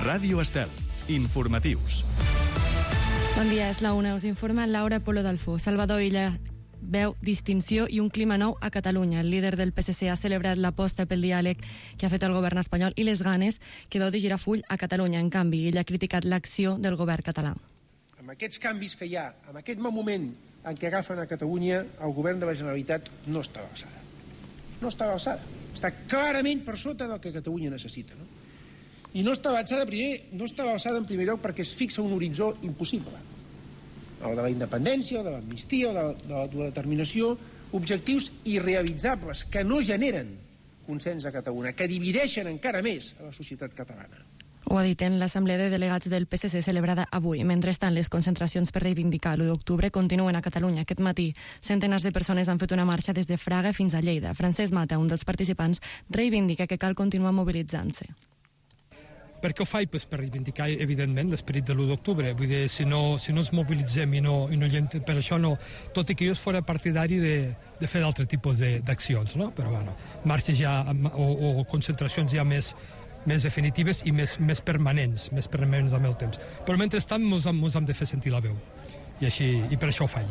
Ràdio Estel. Informatius. Bon dia, és la 1. Us informa Laura Polo Dalfó. Salvador Illa veu distinció i un clima nou a Catalunya. El líder del PSC ha celebrat l'aposta pel diàleg que ha fet el govern espanyol i les ganes que veu de girar full a Catalunya. En canvi, ell ha criticat l'acció del govern català. Amb aquests canvis que hi ha, amb aquest moment en què agafen a Catalunya, el govern de la Generalitat no està a l'alçada. No està a l'alçada. Està clarament per sota del que Catalunya necessita, no? I no està a l'alçada en primer lloc perquè es fixa un horitzó impossible. El de la independència, o de l'amnistia, o de l'autodeterminació, objectius irrealitzables que no generen consens a Catalunya, que divideixen encara més a la societat catalana. Ho ha dit en l'assemblea de delegats del PSC celebrada avui. Mentrestant, les concentracions per reivindicar l'1 d'octubre continuen a Catalunya. Aquest matí, centenars de persones han fet una marxa des de Fraga fins a Lleida. Francesc Mata, un dels participants, reivindica que cal continuar mobilitzant-se. Per què ho faig? Pues per reivindicar, evidentment, l'esperit de l'1 d'octubre. Vull dir, si no ens mobilitzem i no per això no... Tot i que jo fora partidari de fer d'altre tipus d'accions, no? Però, bueno, marxes ja o concentracions ja més definitives i més permanents amb el temps. Però mentrestant ens hem de fer sentir la veu. I per això ho faig.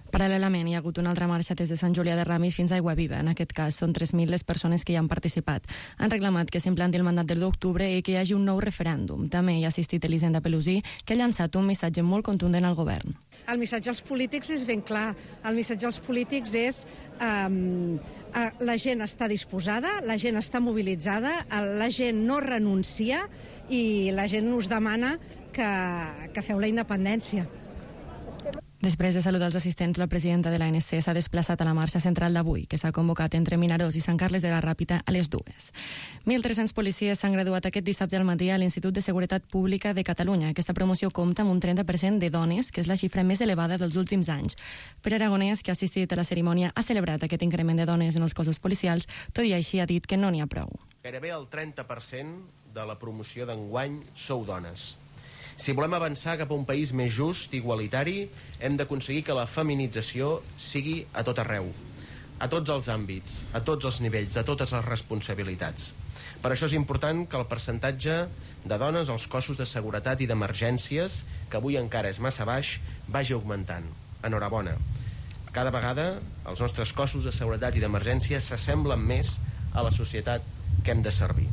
Paral·lelament, hi ha hagut una altra marxa des de Sant Julià de Ramis fins a Aiguaviva. En aquest cas, són 3.000 les persones que hi han participat. Han reclamat que s'implanti el mandat del 1 d'octubre i que hi hagi un nou referèndum. També hi ha assistit Elisenda Pelusí, que ha llançat un missatge molt contundent al govern. El missatge als polítics és ben clar. El missatge als polítics és la gent està disposada, la gent està mobilitzada, la gent no renuncia i la gent us demana que feu la independència. Després de saludar els assistents, la presidenta de l'ANC s'ha desplaçat a la marxa central d'avui, que s'ha convocat entre Vinaròs i Sant Carles de la Ràpita a les 2. 1.300 policies s'han graduat aquest dissabte al matí a l'Institut de Seguretat Pública de Catalunya. Aquesta promoció compta amb un 30% de dones, que és la xifra més elevada dels últims anys. Pere Aragonès, que ha assistit a la cerimònia, ha celebrat aquest increment de dones en els cossos policials, tot i així ha dit que no n'hi ha prou. Gairebé el 30% de la promoció d'enguany sou dones. Si volem avançar cap a un país més just i igualitari, hem d'aconseguir que la feminització sigui a tot arreu, a tots els àmbits, a tots els nivells, a totes les responsabilitats. Per això és important que el percentatge de dones als cossos de seguretat i d'emergències, que avui encara és massa baix, vagi augmentant. Enhorabona. Cada vegada els nostres cossos de seguretat i d'emergència s'assemblen més a la societat que hem de servir.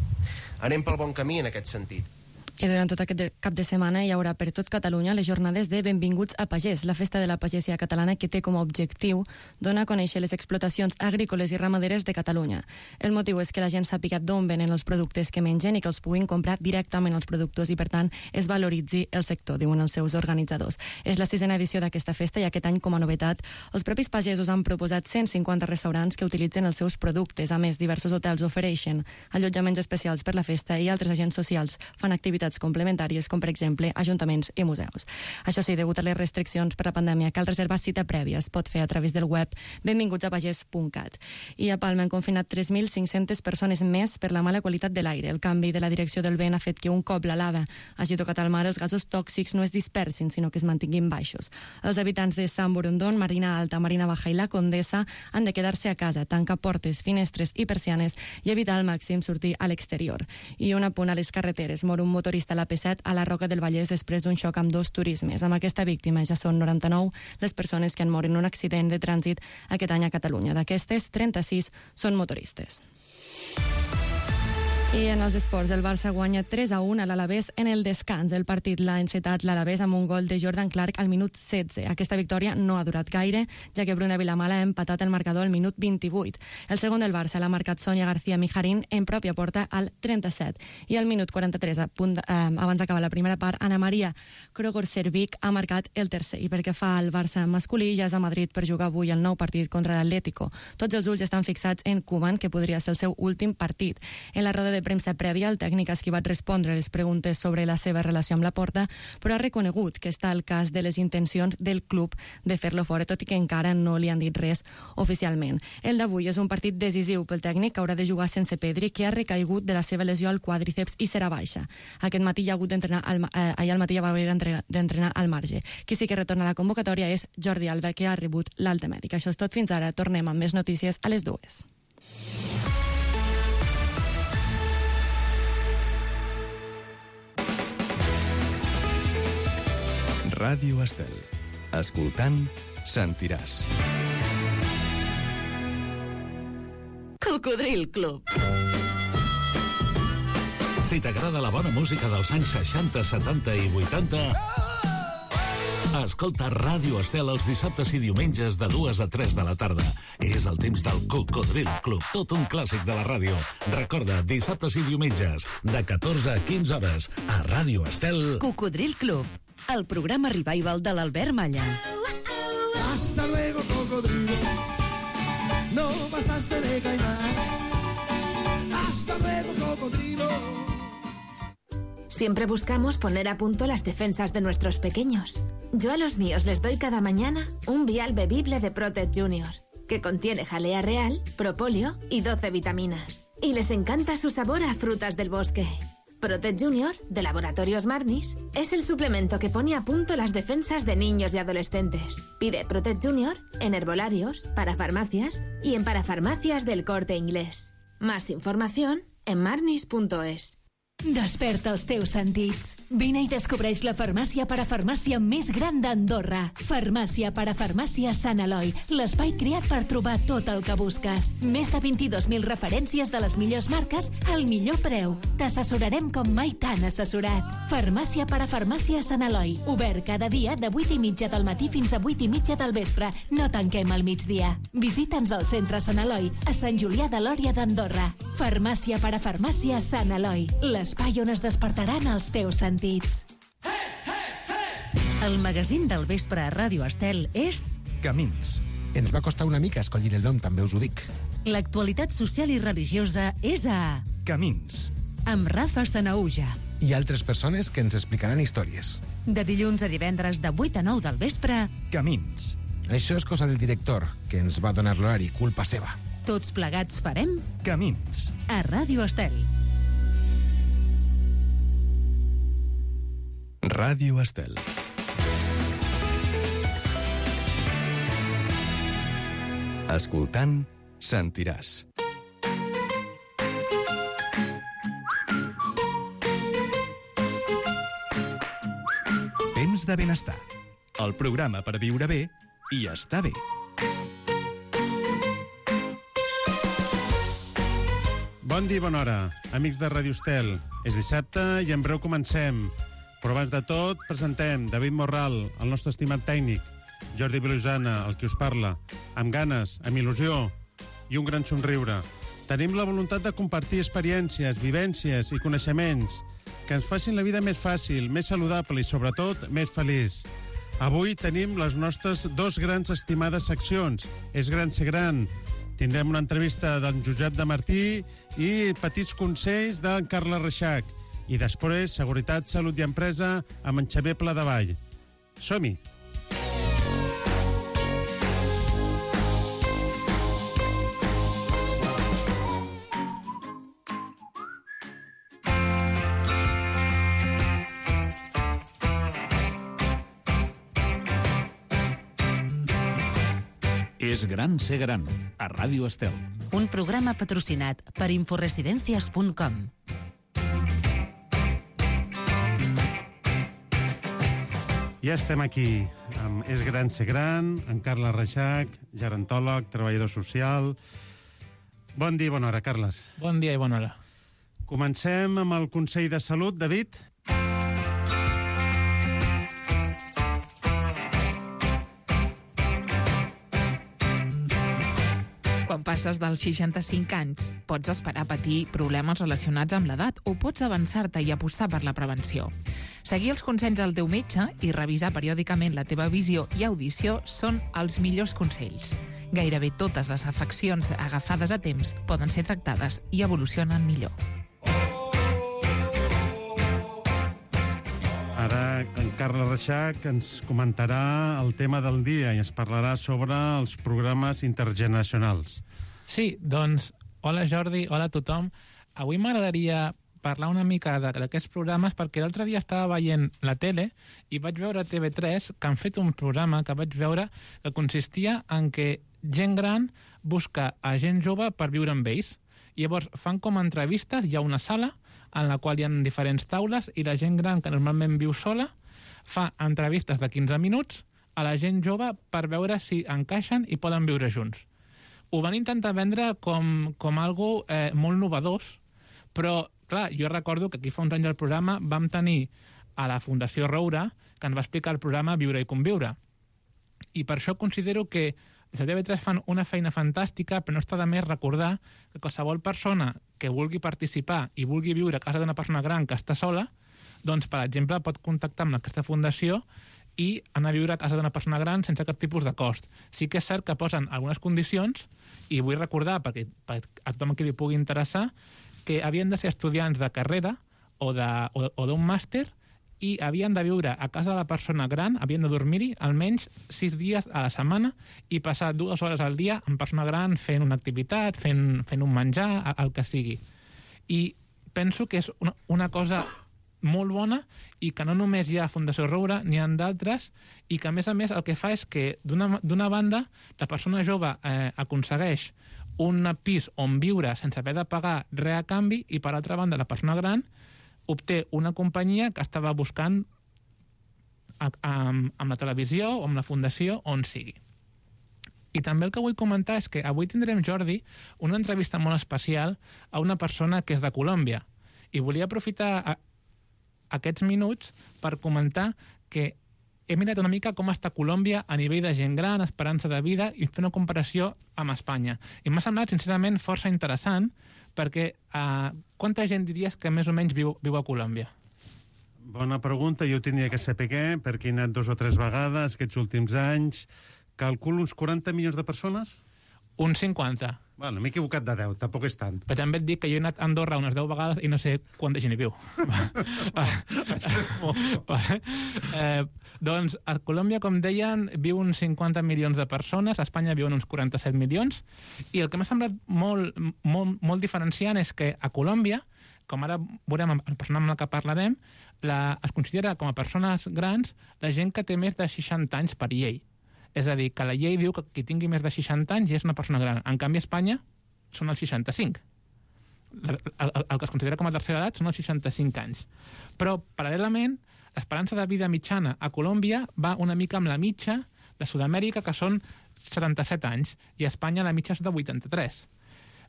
Anem pel bon camí en aquest sentit. I durant tot aquest cap de setmana hi haurà per tot Catalunya les jornades de Benvinguts a Pagès, la festa de la pagesia catalana que té com a objectiu donar a conèixer les explotacions agrícoles i ramaderes de Catalunya. El motiu és que la gent sàpiga d'on venen els productes que mengen i que els puguin comprar directament als productors i, per tant, es valoritzi el sector, diuen els seus organitzadors. És la 6a edició d'aquesta festa i aquest any, com a novetat, els propis pagesos han proposat 150 restaurants que utilitzen els seus productes. A més, diversos hotels ofereixen allotjaments especials per la festa i altres agents socials fan activitats complementàries, com per exemple ajuntaments i museus. Això sí, degut a les restriccions per la pandèmia, cal reservar cita prèvia. Es pot fer a través del web benvingutsapagès.cat. I a Palma han confinat 3.500 persones més per la mala qualitat de l'aire. El canvi de la direcció del vent ha fet que un cop la lava hagi tocat al mar, els gasos tòxics no es dispersin, sinó que es mantinguin baixos. Els habitants de Sant Borondón, Marina Alta, Marina Baja i la Condessa han de quedar-se a casa, tancar portes, finestres i persianes i evitar al màxim sortir a l'exterior. I un apunt a les carreteres. Mor un motorista a la P7 a la Roca del Vallès després d'un xoc amb 2 turismes. Amb aquesta víctima ja són 99 les persones que han mort en un accident de trànsit aquest any a Catalunya. D'aquestes, 36 són motoristes. I en els esports, el Barça guanya 3-1 a l'Alavés en el descans. El partit l'ha encetat l'Alavés amb un gol de Jordan Clark al minut 16. Aquesta victòria no ha durat gaire, ja que Bruna Vilamala ha empatat el marcador al minut 28. El segon del Barça l'ha marcat Sonia García Mijarín en pròpia porta al 37. I al minut 43, abans d'acabar la primera part, Ana Maria Krogor-Servic ha marcat el tercer. I perquè fa el Barça masculí, ja és a Madrid per jugar avui el nou partit contra l'Atlético. Tots els ulls estan fixats en Koeman, que podria ser el seu últim partit. En la roda de premsa prèvia, el tècnic ha esquivat respondre les preguntes sobre la seva relació amb la Porta, però ha reconegut que està al cas de les intencions del club de fer-lo fora, tot i que encara no li han dit res oficialment. El d'avui és un partit decisiu pel tècnic, que haurà de jugar sense Pedri, que ha recaigut de la seva lesió al quàdriceps i serà baixa. Aquest matí ja ha hagut d'entrenar ahir al matí ja va haver d'entrenar al marge. Qui sí que retorna a la convocatòria és Jordi Alba, que ha rebut l'alta mèdica. Això és tot fins ara. Tornem amb més notícies a les 2. Ràdio Estel. Escoltant, sentiràs. Cocodril Club. Si t'agrada la bona música dels anys 60, 70 i 80, escolta Ràdio Estel els dissabtes i diumenges de 2 a 3 de la tarda. És el temps del Cocodril Club, tot un clàssic de la ràdio. Recorda, dissabtes i diumenges, de 14 a 15 hores, a Ràdio Estel. Cocodril Club, el programa revival de l'Albert Malla. Hasta luego, cocodrilo. No pasaste de caimán. Hasta luego, cocodrilo. Siempre buscamos poner a punto las defensas de nuestros pequeños. Yo a los míos les doy cada mañana un vial bebible de Protect Junior, que contiene jalea real, propóleo y 12 vitaminas. Y les encanta su sabor a frutas del bosque. Protect Junior, de Laboratorios Marnis, es el suplemento que pone a punto las defensas de niños y adolescentes. Pide Protect Junior en herbolarios, parafarmacias y en parafarmacias del Corte Inglés. Más información en marnis.es. Desperta els teus sentits. Vine i descobreix la farmàcia parafarmàcia més gran d'Andorra. Farmàcia parafarmàcia Sant Eloi, l'espai creat per trobar tot el que busques. Més de 22.000 referències de les millors marques al millor preu. T'assessorarem com mai t'han assessorat. Farmàcia parafarmàcia Sant Eloi, obert cada dia de 8:30 del matí fins a 8:30 del vespre. No tanquem al migdia. Visita'ns al centre Sant Eloi, a Sant Julià de Lòria d'Andorra. Farmàcia parafarmàcia Sant Eloi, l'espai on es despertaran els teus sentits. El magazín del vespre a Ràdio Estel és... Camins. Ens va costar una mica escollir el nom, també us ho dic. L'actualitat social i religiosa és a... Camins. Amb Rafa Sanaúja. I altres persones que ens explicaran històries. De dilluns a divendres de 8 a 9 del vespre... Camins. Això és cosa del director, que ens va donar l'horari, culpa seva. Tots plegats farem... Camins. A Ràdio Estel. Ràdio Estel. Escoltant, sentiràs. Temps de benestar. El programa per viure bé i estar bé. Bon dia i bona hora, amics de Ràdio Estel. És dissabte i en breu comencem. Però abans de tot, presentem David Morral, el nostre estimat tècnic, Jordi Vilosana, el que us parla, amb ganes, amb il·lusió i un gran somriure. Tenim la voluntat de compartir experiències, vivències i coneixements que ens facin la vida més fàcil, més saludable i, sobretot, més feliç. Avui tenim les nostres dos grans estimades seccions. És gran ser gran. Tindrem una entrevista d'en Josep de Martí i petits consells d'en Carles Reixac. I després, Seguretat, Salut i Empresa amb en Xavier Pladevall. Som-hi! És gran ser gran, a Ràdio Estel. Un programa patrocinat per inforesidencias.com. Ja estem aquí amb És gran ser gran, en Carles Reixac, gerontòleg, treballador social. Bon dia i bona hora, Carles. Bon dia i bona hora. Comencem amb el Consell de Salut, David. Quan passes dels 65 anys, pots esperar patir problemes relacionats amb l'edat o pots avançar-te i apostar per la prevenció. Seguir els consells del teu metge i revisar periòdicament la teva visió i audició són els millors consells. Gairebé totes les afeccions agafades a temps poden ser tractades i evolucionen millor. Ara en Carles Reixac ens comentarà el tema del dia i ens parlarà sobre els programes intergeneracionals. Sí, doncs, hola Jordi, hola a tothom. Avui m'agradaria parlar una mica d'aquests programes perquè l'altre dia estava veient la tele i vaig veure a TV3 que han fet un programa que vaig veure que consistia en que gent gran busca a gent jove per viure amb ells. Llavors fan com entrevistes, hi ha una sala en la qual hi ha diferents taules i la gent gran que normalment viu sola fa entrevistes de 15 minuts a la gent jove per veure si encaixen i poden viure junts. Ho van intentar vendre com algo molt novedós, però, clar, jo recordo que aquí fa uns anys al programa vam tenir a la Fundació Roure, que ens va explicar el programa Viure i Conviure. I per això considero que des de TV3 fan una feina fantàstica, però no està de més recordar que qualsevol persona que vulgui participar i vulgui viure a casa d'una persona gran que està sola, doncs, per exemple, pot contactar amb aquesta fundació i anar a viure a casa d'una persona gran sense cap tipus de cost. Sí que és cert que posen algunes condicions, i vull recordar, perquè a tothom qui li pugui interessar, que havien de ser estudiants de carrera o d'un màster i havien de viure a casa de la persona gran, havien de dormir-hi almenys 6 dies a la setmana i passar 2 hores al dia amb persona gran fent una activitat, fent un menjar, el que sigui. I penso que és una cosa molt bona i que no només hi ha Fundació Roure, n'hi ha d'altres, i que a més el que fa és que d'una banda la persona jove aconsegueix un pis on viure sense haver de pagar res a canvi, i per altra banda la persona gran obté una companyia que estava buscant amb la televisió o amb la fundació on sigui. I també el que vull comentar és que avui tindrem, Jordi, una entrevista molt especial a una persona que és de Colòmbia. I volia aprofitar aquests minuts per comentar que he mirat una mica com està Colòmbia a nivell de gent gran, esperança de vida, i fer una comparació amb Espanya. I m'ha semblat, sincerament, força interessant, perquè quanta gent diries que més o menys viu a Colòmbia? Bona pregunta, jo ho tindria que saber perquè he anat 2 o 3 vegades aquests últims anys. Calculo uns 40 milions de persones? Uns 50. Bueno, m'he equivocat de 10, tampoc és tant. Però també et dic que jo he anat a Andorra unes 10 vegades i no sé quanta gent hi viu. Doncs a Colòmbia, com deien, viu uns 50 milions de persones, a Espanya viuen uns 47 milions, i el que m'ha semblat molt diferenciant és que a Colòmbia, com ara veurem el persona amb la que parlarem, es considera com a persones grans la gent que té més de 60 anys per llei. És a dir, que la llei diu que qui tingui més de 60 anys ja és una persona gran. En canvi, a Espanya són els 65. El que es considera com a tercera edat són els 65 anys. Però, paral·lelament, l'esperança de vida mitjana a Colòmbia va una mica amb la mitja de Sud-amèrica, que són 77 anys, i a Espanya la mitja és de 83.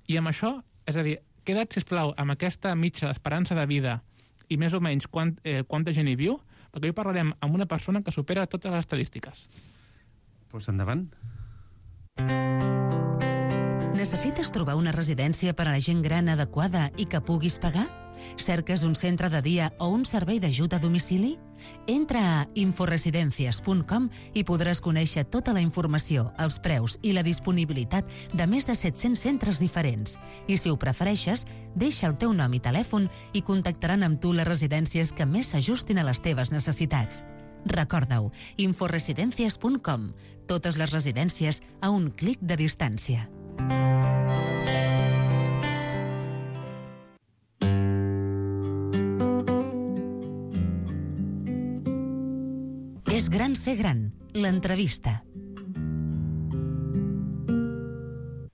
I amb això, és a dir, queda't, sisplau, amb aquesta mitja d'esperança de vida i més o menys quanta gent hi viu, perquè avui parlarem amb una persona que supera totes les estadístiques. Doncs endavant. Necessites trobar una residència per a la gent gran adequada i que puguis pagar? Cerques un centre de dia o un servei d'ajuda a domicili? Entra a inforesidencias.com i podràs conèixer tota la informació, els preus i la disponibilitat de més de 700 centres diferents. I si ho prefereixes, deixa el teu nom i telèfon i contactaran amb tu les residències que més s'ajustin a les teves necessitats. Recorda-ho, inforesidencias.com. Totes les residències a un clic de distància. És gran ser gran, l'entrevista.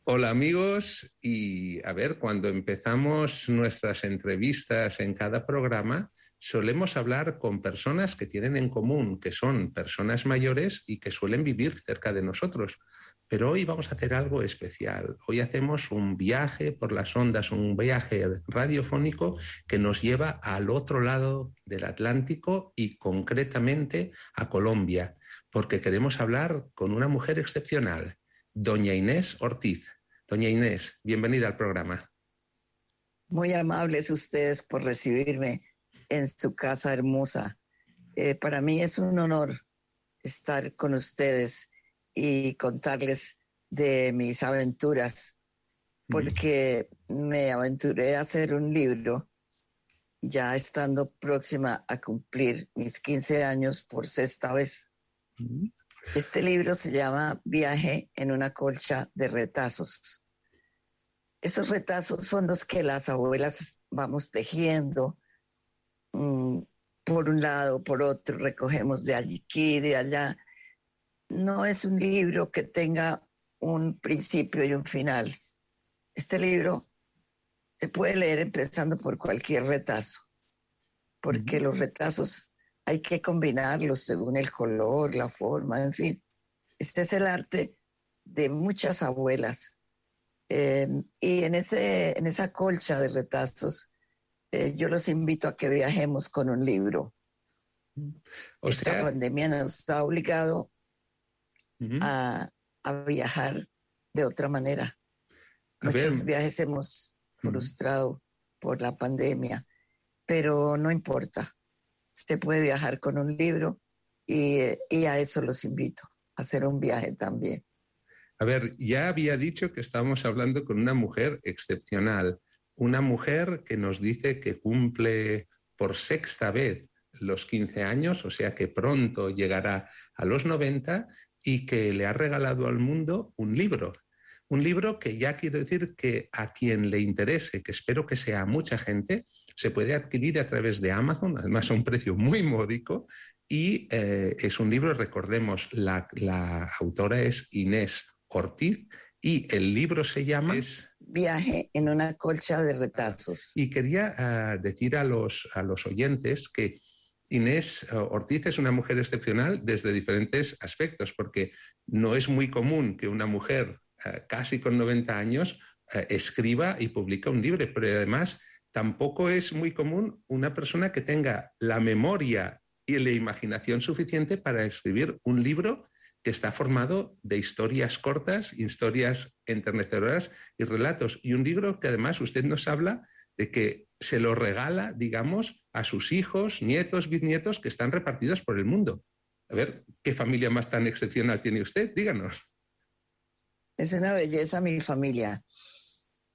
Hola amigos, y a ver, cuando empezamos nuestras entrevistas en cada programa, solemos hablar con personas que tienen en común, que son personas mayores y que suelen vivir cerca de nosotros. Pero hoy vamos a hacer algo especial. Hoy hacemos un viaje por las ondas, un viaje radiofónico que nos lleva al otro lado del Atlántico y concretamente a Colombia, porque queremos hablar con una mujer excepcional, doña Inés Ortiz. Doña Inés, bienvenida al programa. Muy amables ustedes por recibirme en su casa hermosa. Para mí es un honor estar con ustedes y contarles de mis aventuras, porque me aventuré a hacer un libro ya estando próxima a cumplir mis 15 años por 6ª vez. Este libro se llama Viaje en una colcha de retazos. Esos retazos son los que las abuelas vamos tejiendo, por un lado, por otro, recogemos de aquí, de allá. No es un libro que tenga un principio y un final. Este libro se puede leer empezando por cualquier retazo, porque los retazos hay que combinarlos según el color, la forma, en fin. Este es el arte de muchas abuelas. Y en esa colcha de retazos, yo los invito a que viajemos con un libro. Esta pandemia nos ha obligado a viajar de otra manera. Muchos viajes hemos frustrado por la pandemia, pero no importa. Usted puede viajar con un libro y a eso los invito, a hacer un viaje también. A ver, ya había dicho que estábamos hablando con una mujer excepcional, una mujer que nos dice que cumple por 6ª vez los 15 años, o sea que pronto llegará a los 90 y que le ha regalado al mundo un libro. Un libro que ya quiero decir que a quien le interese, que espero que sea mucha gente, se puede adquirir a través de Amazon, además a un precio muy módico, y es un libro, recordemos, la autora es Inés Ortiz, y el libro se llama... Viaje en una colcha de retazos. Y quería decir a los oyentes que Inés Ortiz es una mujer excepcional desde diferentes aspectos, porque no es muy común que una mujer casi con 90 años escriba y publica un libro, pero además tampoco es muy común una persona que tenga la memoria y la imaginación suficiente para escribir un libro que está formado de historias cortas, historias enternecedoras y relatos. Y un libro que además usted nos habla de que se lo regala, digamos, a sus hijos, nietos, bisnietos que están repartidos por el mundo. A ver, ¿qué familia más tan excepcional tiene usted? Díganos. Es una belleza mi familia.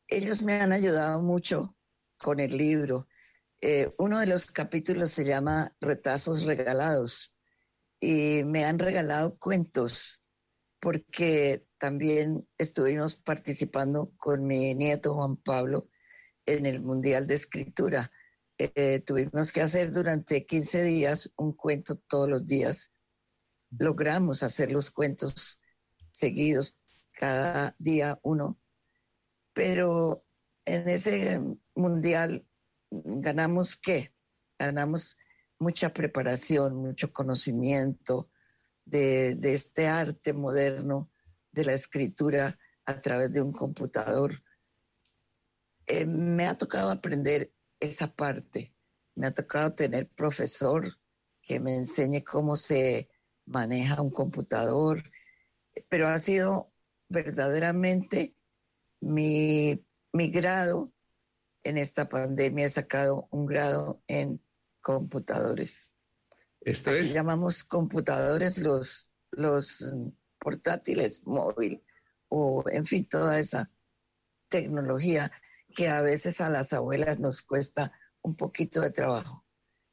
Ellos me han ayudado mucho con el libro. Uno de los capítulos se llama Retazos Regalados y me han regalado cuentos porque también estuvimos participando con mi nieto Juan Pablo en el Mundial de Escritura. Tuvimos que hacer durante 15 días un cuento todos los días. Logramos hacer los cuentos seguidos, cada día uno, pero en ese mundial ganamos ¿qué? Ganamos mucha preparación, mucho conocimiento de este arte moderno de la escritura a través de un computador. Me ha tocado aprender esa parte, me ha tocado tener profesor que me enseñe cómo se maneja un computador, pero ha sido verdaderamente mi grado en esta pandemia. He sacado un grado en computadores. Aquí llamamos computadores los portátiles, móvil, o en fin, toda esa tecnología que a veces a las abuelas nos cuesta un poquito de trabajo,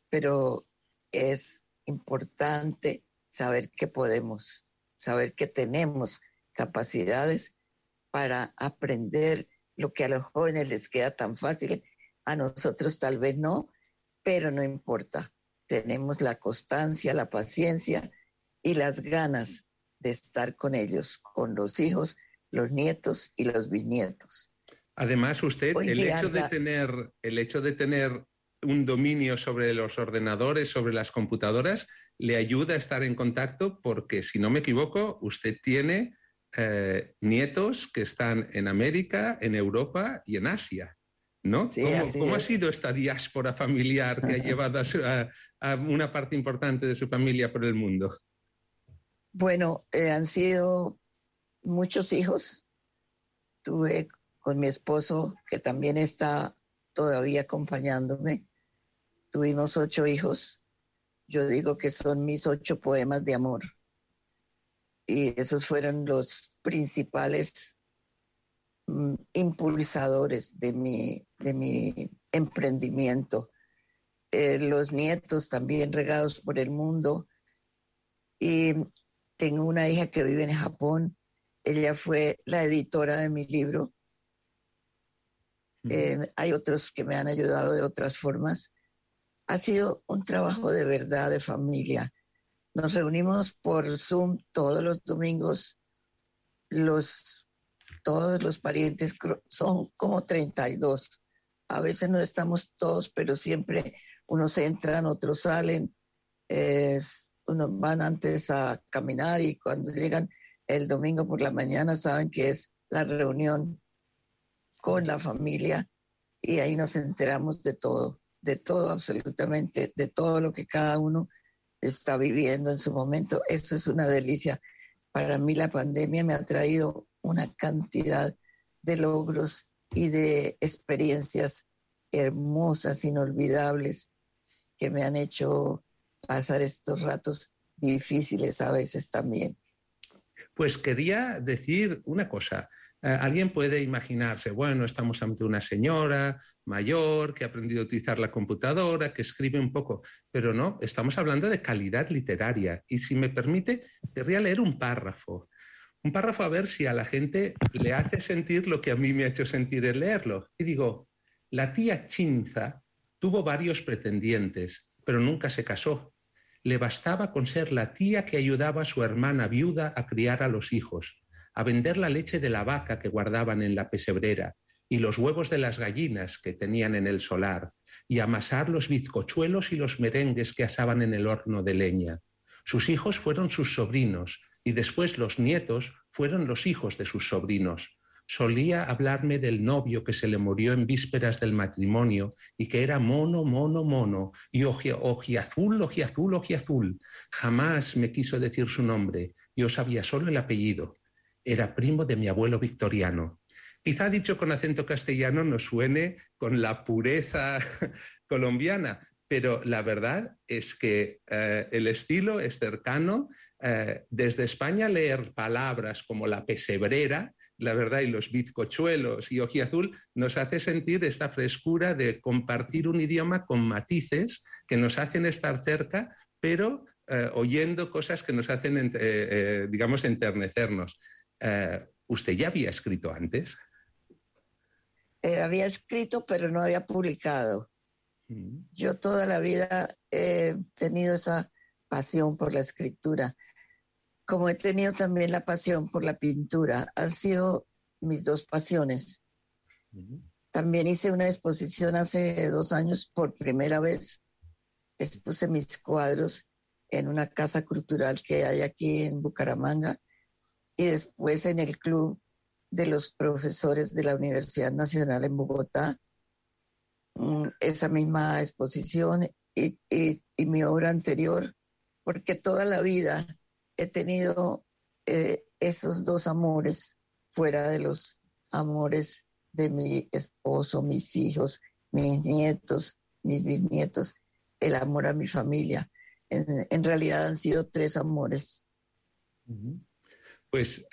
pero es importante saber que podemos, saber que tenemos capacidades para aprender lo que a los jóvenes les queda tan fácil, a nosotros tal vez no, pero no importa. Tenemos la constancia, la paciencia y las ganas de estar con ellos, con los hijos, los nietos y los bisnietos. Además, usted, el hecho de tener un dominio sobre los ordenadores, sobre las computadoras, le ayuda a estar en contacto porque, si no me equivoco, usted tiene nietos que están en América, en Europa y en Asia, ¿no? Sí, ¿Cómo ha sido esta diáspora familiar que ha llevado a una parte importante de su familia por el mundo? Bueno, han sido muchos hijos. Tuve con mi esposo, que también está todavía acompañándome. Tuvimos 8 hijos. Yo digo que son mis 8 poemas de amor. Y esos fueron los principales impulsadores de mi emprendimiento. Los nietos también regados por el mundo. Y tengo una hija que vive en Japón. Ella fue la editora de mi libro. Hay otros que me han ayudado de otras formas. Ha sido un trabajo de verdad, de familia. Nos reunimos por Zoom todos los domingos. Todos los parientes son como 32. A veces no estamos todos, pero siempre unos entran, otros salen. Unos van antes a caminar y cuando llegan el domingo por la mañana saben que es la reunión con la familia y ahí nos enteramos de todo absolutamente, de todo lo que cada uno está viviendo en su momento. Eso es una delicia. Para mí la pandemia me ha traído una cantidad de logros y de experiencias hermosas, inolvidables, que me han hecho pasar estos ratos difíciles a veces también. Pues quería decir una cosa. Alguien puede imaginarse, bueno, estamos ante una señora mayor que ha aprendido a utilizar la computadora, que escribe un poco, pero no, estamos hablando de calidad literaria. Y si me permite, querría leer un párrafo a ver si a la gente le hace sentir lo que a mí me ha hecho sentir el leerlo. Y digo, la tía Chinza tuvo varios pretendientes, pero nunca se casó. Le bastaba con ser la tía que ayudaba a su hermana viuda a criar a los hijos, a vender la leche de la vaca que guardaban en la pesebrera y los huevos de las gallinas que tenían en el solar, y amasar los bizcochuelos y los merengues que asaban en el horno de leña. Sus hijos fueron sus sobrinos, y después los nietos fueron los hijos de sus sobrinos. Solía hablarme del novio que se le murió en vísperas del matrimonio y que era mono, y ojiazul. Jamás me quiso decir su nombre, yo sabía solo el apellido. Era primo de mi abuelo victoriano. Quizá dicho con acento castellano no suene con la pureza colombiana, pero la verdad es que el estilo es cercano. Desde España leer palabras como la pesebrera, la verdad, y los bizcochuelos y ojiazul nos hace sentir esta frescura de compartir un idioma con matices que nos hacen estar cerca, pero oyendo cosas que nos hacen, digamos, enternecernos. ¿Usted ya había escrito antes? Había escrito, pero no había publicado. Yo toda la vida he tenido esa pasión por la escritura, como he tenido también la pasión por la pintura. Han sido mis dos pasiones. También hice una exposición hace 2 años por primera vez. Expuse mis cuadros en una casa cultural que hay aquí en Bucaramanga y después en el Club de los Profesores de la Universidad Nacional en Bogotá. Esa misma exposición y mi obra anterior, porque toda la vida he tenido esos 2 amores fuera de los amores de mi esposo, mis hijos, mis nietos, mis bisnietos, el amor a mi familia. En realidad han sido 3 amores. Pues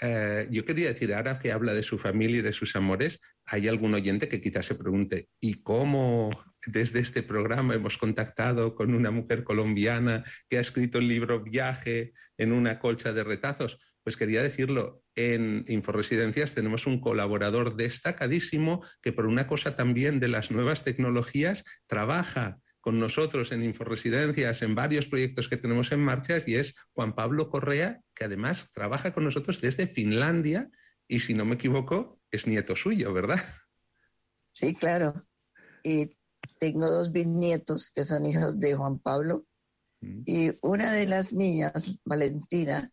yo quería decir, ahora que habla de su familia y de sus amores, hay algún oyente que quizás se pregunte, ¿y cómo desde este programa hemos contactado con una mujer colombiana que ha escrito el libro Viaje en una colcha de retazos? Pues quería decirlo, en Inforesidencias tenemos un colaborador destacadísimo que por una cosa también de las nuevas tecnologías trabaja con nosotros en Inforesidencias, en varios proyectos que tenemos en marcha, y es Juan Pablo Correa, que además trabaja con nosotros desde Finlandia y, si no me equivoco, es nieto suyo, ¿verdad? Sí, claro. Y tengo 2 bisnietos que son hijos de Juan Pablo y una de las niñas, Valentina,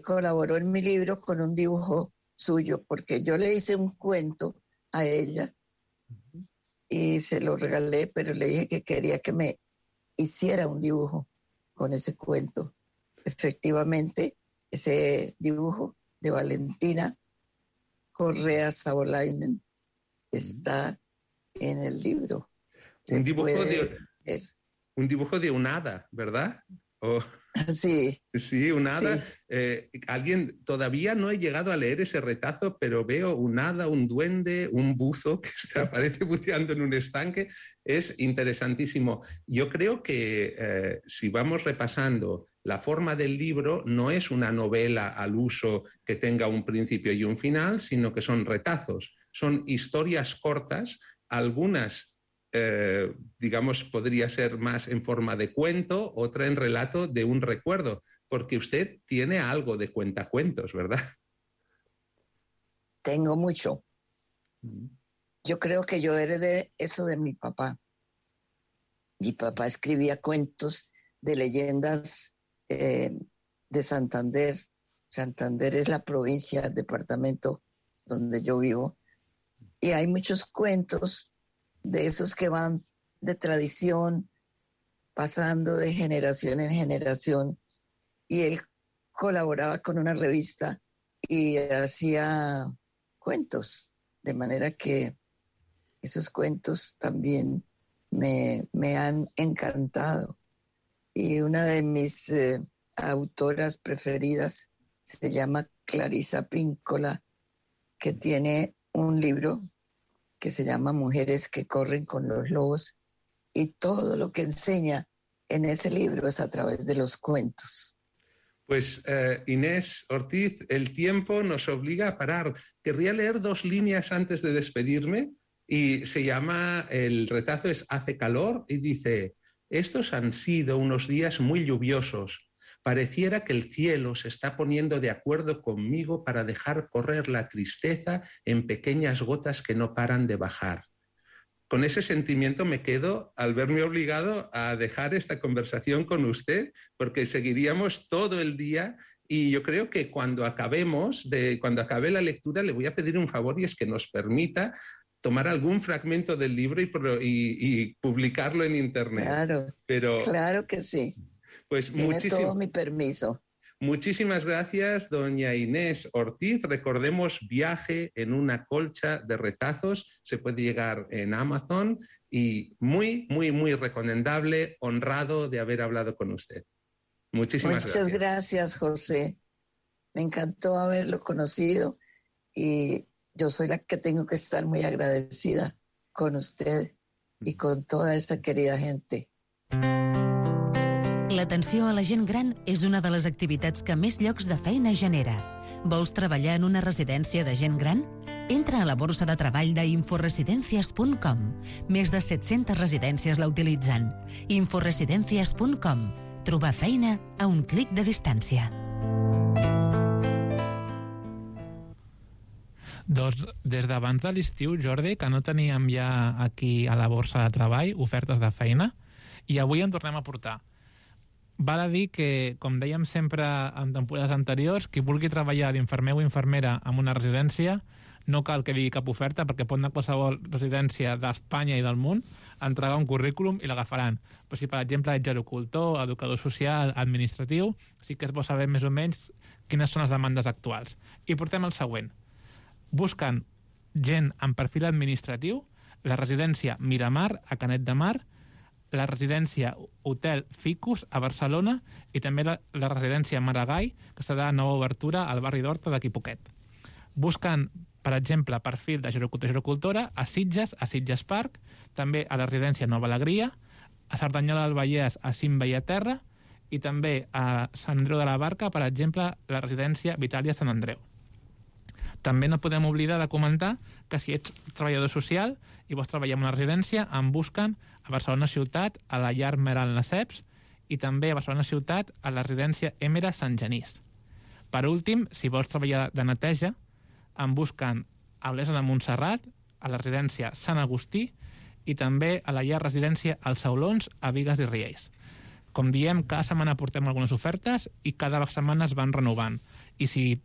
colaboró en mi libro con un dibujo suyo, porque yo le hice un cuento a ella y se lo regalé, pero le dije que quería que me hiciera un dibujo con ese cuento. Efectivamente, ese dibujo de Valentina Correa Sabolainen está en el libro. Un dibujo de un hada, ¿verdad? Sí. Sí, un hada. Sí. Alguien, todavía no he llegado a leer ese retazo, pero veo un hada, un duende, un buzo que se aparece buceando en un estanque. Es interesantísimo. Yo creo que si vamos repasando la forma del libro, no es una novela al uso que tenga un principio y un final, sino que son retazos, son historias cortas, algunas digamos, podría ser más en forma de cuento, otra en relato de un recuerdo, porque usted tiene algo de cuentacuentos, ¿verdad? Tengo mucho. Yo creo que yo heredé eso de mi papá. Mi papá escribía cuentos de leyendas de Santander. Santander es la provincia, el departamento donde yo vivo. Y hay muchos cuentos de esos que van de tradición, pasando de generación en generación. Y él colaboraba con una revista y hacía cuentos, de manera que esos cuentos también me han encantado. Y una de mis autoras preferidas se llama Clarisa Píncola, que tiene un libro que se llama Mujeres que corren con los lobos, y todo lo que enseña en ese libro es a través de los cuentos. Pues Inés Ortiz, el tiempo nos obliga a parar. Querría leer 2 líneas antes de despedirme, y se llama, el retazo es Hace calor, y dice: estos han sido unos días muy lluviosos. Pareciera que el cielo se está poniendo de acuerdo conmigo para dejar correr la tristeza en pequeñas gotas que no paran de bajar. Con ese sentimiento me quedo al verme obligado a dejar esta conversación con usted, porque seguiríamos todo el día, y yo creo que cuando acabe la lectura le voy a pedir un favor, y es que nos permita tomar algún fragmento del libro y publicarlo en internet. Claro que sí. Pues tiene todo mi permiso. Muchísimas gracias, doña Inés Ortiz. Recordemos Viaje en una colcha de retazos. Se puede llegar en Amazon, y muy, muy, muy recomendable. Honrado de haber hablado con usted. Muchas gracias, José. Me encantó haberlo conocido, y yo soy la que tengo que estar muy agradecida con usted y con toda esa querida gente. L'atenció a la gent gran és una de les activitats que més llocs de feina genera. Vols treballar en una residència de gent gran? Entra a la borsa de treball d'inforesidencias.com. Més de 700 residències la utilitzen. Inforesidencias.com. Trobar feina a un clic de distància. Doncs des d'abans de l'estiu, Jordi, que no teníem ja aquí a la borsa de treball ofertes de feina, i avui en tornem a portar. Val a dir que, com dèiem sempre en temporades anteriors, qui vulgui treballar d'infermer o infermera en una residència no cal que digui cap oferta, perquè pot anar a qualsevol residència d'Espanya i del món, entregar un currículum i l'agafaran. Però si, per exemple, ets gerocultor, educador social, administratiu, sí que és bo saber més o menys quines són les demandes actuals. I portem el següent. Busquen gent amb perfil administratiu, la residència Miramar, a Canet de Mar, la residència Hotel Ficus, a Barcelona, i també la residència Maragall, que serà nova obertura al barri d'Horta d'aquí poquet. Busquen, per exemple, perfil de gerocultor-gerocultora a Sitges Park, també a la residència Nova Alegria, a Cerdanyola del Vallès, a Cim Bellaterra, i també a Sant Andreu de la Barca, per exemple, la residència Vitàlia Sant Andreu. També no podem oblidar de comentar que si ets treballador social i vols treballar en una residència, en busquen a Barcelona Ciutat, a la llar Meral Naceps, i també a Barcelona Ciutat, a la residència Èmera Sant Genís. Per últim, si vols treballar de neteja, en busquen a Olesa de Montserrat, a la residència Sant Agustí, i també a la llar residència Els Saulons, a Bigues i Riells. Com diem, cada setmana portem algunes ofertes i cada setmana es van renovant. I si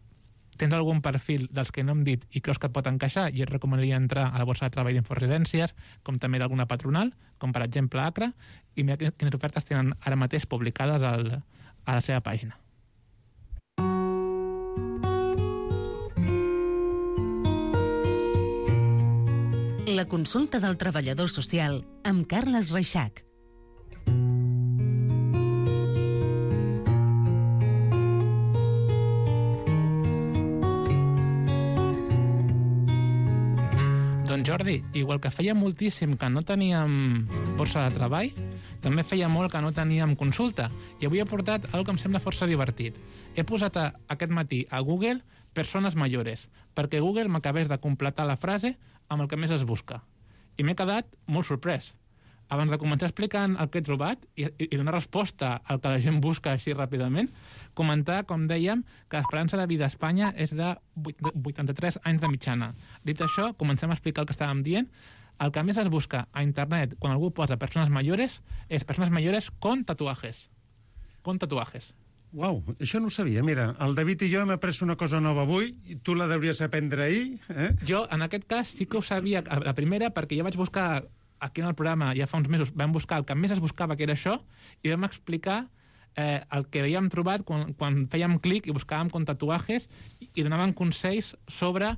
tens algun perfil dels que no hem dit i creus que et pot encaixar, i et recomanaria entrar a la borsa de treball d'Inforesidències, com també d'alguna patronal, com per exemple Acra, i mira quines ofertes tenen ara mateix publicades a la seva pàgina. La consulta del treballador social amb Carles Reixac. Doncs Jordi, igual que feia moltíssim que no teníem borsa de treball, també feia molt que no teníem consulta. I avui he portat una que em sembla força divertit. He posat aquest matí a Google persones mayores, perquè Google m'acabés de completar la frase amb el que més es busca. I m'he quedat molt sorprès. Abans de començar explicant el que he trobat i donar resposta al que la gent busca així ràpidament, comentar, com dèiem, que l'esperança de vida a Espanya és de 83 anys de mitjana. Dit això, comencem a explicar el que estàvem dient. El que més es busca a internet quan algú posa persones mayores és persones mayores con tatuajes. con tatuajes. Uau, això no ho sabia. Mira, el David i jo hem après una cosa nova avui, i tu la devries aprendre ahir. Jo, en aquest cas, sí que ho sabia la primera, perquè ja vaig buscar, aquí en el programa, ja fa uns mesos, vam buscar el que més es buscava, que era això, i vam explicar el que havíem trobat quan fèiem clic i buscàvem con tatuajes i donaven consells sobre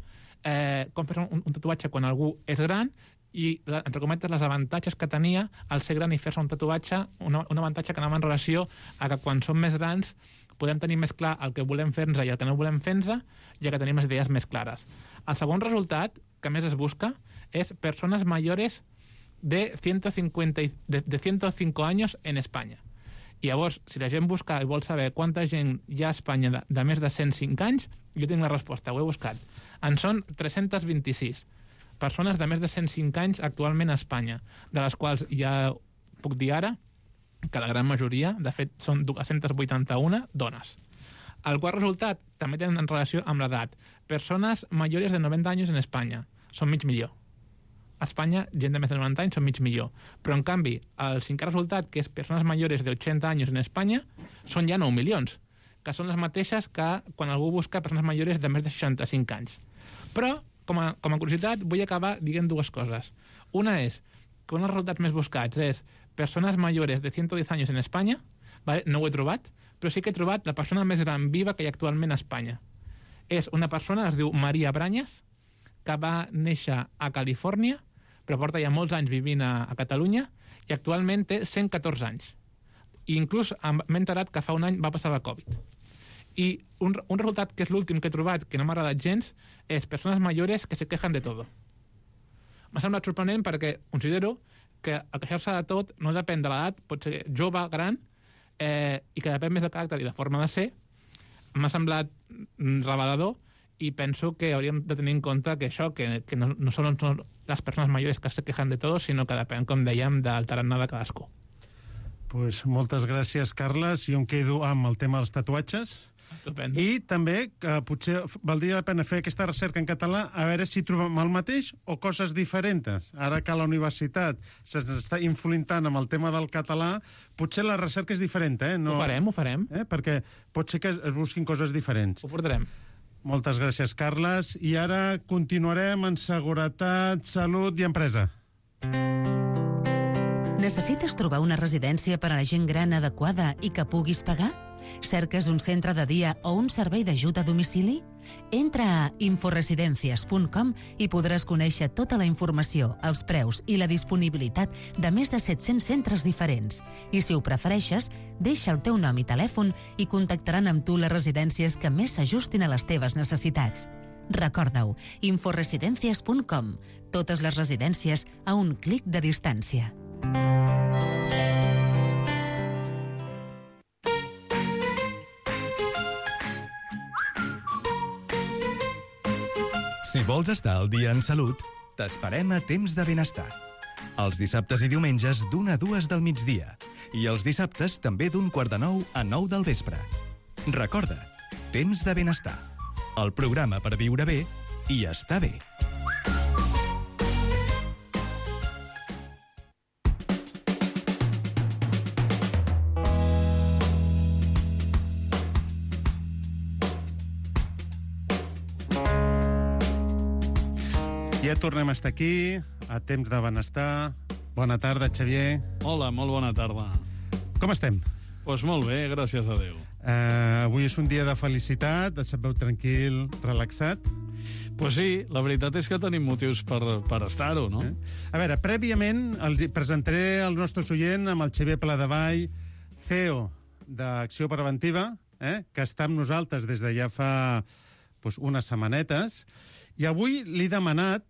com fer un tatuatge quan algú és gran i, entre cometes, les avantatges que tenia al ser gran i fer-se un tatuatge, un avantatge que anava en relació a que quan som més grans podem tenir més clar el que volem fer-nos i el que no volem fer-nos, ja que tenim les idees més clares. El segon resultat que més es busca és persones mayores de 105 años en Espanya. I llavors, si la gent busca i vol saber quanta gent hi ha a Espanya de més de 105 anys, jo tinc la resposta, ho he buscat. En són 326 persones de més de 105 anys actualment a Espanya, de les quals ja puc dir ara que la gran majoria, de fet, són 281 dones. El quart resultat també tenen en relació amb l'edat. Persones mayores de 90 anys en Espanya, són mig milió. A Espanya, gent de més de 90 anys són mig milió. Però, en canvi, el cinquè resultat, que és persones mayores de 80 anys en Espanya, són ja 9 milions, que són les mateixes que quan algú busca persones mayores de més de 65 anys. Però, com a curiositat, vull acabar dient dues coses. Una és que un dels resultats més buscats és persones mayores de 110 anys en Espanya, ¿vale? No ho he trobat, però sí que he trobat la persona més gran viva que hi ha actualment a Espanya. És una persona, es diu Maria Brañas, que va néixer a Califòrnia, però porta ja molts anys vivint a Catalunya, i actualment té 114 anys. I inclús m'he enterat que fa un any va passar la Covid. I un resultat que és l'últim que he trobat, que no m'ha agradat gens, és persones mayores que se quejan de todo. M'ha semblat sorprenent perquè considero que el queixar-se de tot no depèn de l'edat, pot ser jove, gran, i que depèn més del caràcter i de forma de ser. M'ha semblat revelador i penso que hauríem de tenir en compte que això, que no són les persones majors que se quejan de tot, sinó que depèn, com dèiem, del tarannà de cadascú. Pues moltes gràcies, Carles. Jo em quedo amb el tema dels tatuatges. Estupendo. I també potser valdria la pena fer aquesta recerca en català a veure si trobem el mateix o coses diferents. Ara que la universitat s'està influentant amb el tema del català, potser la recerca és diferent, No... Ho farem. Perquè pot ser que es busquin coses diferents. Ho portarem. Moltes gràcies, Carles. I ara continuarem en seguretat, salut i empresa. Necessites trobar una residència per a la gent gran adequada i que puguis pagar? Cerques un centre de dia o un servei d'ajut a domicili? Entra a inforesidencias.com i podràs conèixer tota la informació, els preus i la disponibilitat de més de 700 centres diferents. I si ho prefereixes, deixa el teu nom i telèfon i contactaran amb tu les residències que més s'ajustin a les teves necessitats. Recorda-ho, inforesidencias.com. Totes les residències a un clic de distància. Si vols estar al dia en salut, t'esperem a Temps de Benestar. Els dissabtes i diumenges d'1 a 2 del migdia. I els dissabtes també d'8:45 a 9 del vespre. Recorda, Temps de Benestar. El programa per viure bé i estar bé. Ja tornem a estar aquí, a Temps de Benestar. Bona tarda, Xavier. Hola, molt bona tarda. Com estem? Doncs molt bé, gràcies a Déu. Avui és un dia de felicitat, et veu tranquil, relaxat. Pues sí, la veritat és que tenim motius per estar-ho, no? A veure, prèviament presentaré al nostre oient amb el Xavier Pladevall, CEO d'Acció Preventiva, que està amb nosaltres des de ja fa unes setmanetes. I avui li he demanat,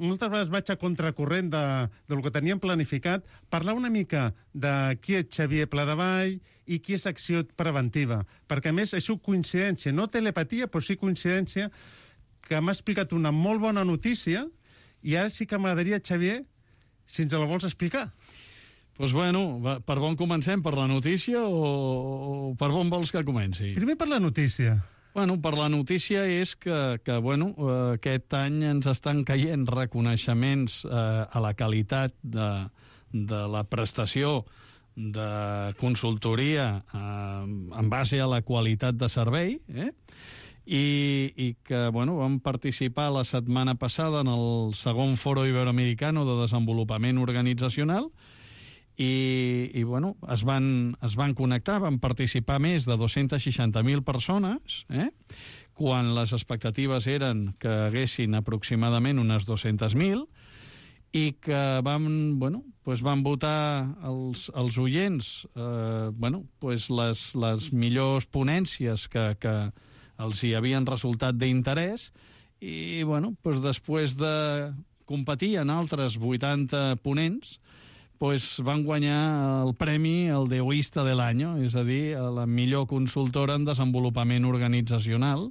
moltes vegades vaig a contracorrent del que teníem planificat, parlar una mica de qui és Xavier Pladevall i qui és Acció Preventiva. Perquè, a més, és coincidència, no telepatia, però sí coincidència, que m'ha explicat una molt bona notícia i ara sí que m'agradaria, Xavier, si ens la vols explicar. Doncs bueno, per on comencem? Per la notícia o per on vols que comenci? Primer per la notícia. Bueno, per la notícia és que aquest any ens estan caient reconeixements a la qualitat de la prestació de consultoria en base a la qualitat de servei, i que vam participar la setmana passada en el segon Foro Iberoamericano de Desenvolupament Organitzacional i es van connectar, van participar més de 260.000 persones, quan les expectatives eren que haguessin aproximadament unes 200.000, i que van votar els oients les millors ponències que els hi havien resultat d'interès, i després de competir en altres 80 ponents, van guanyar el premi el Deoista de l'any, és a dir, la millor consultora en desenvolupament organitzacional.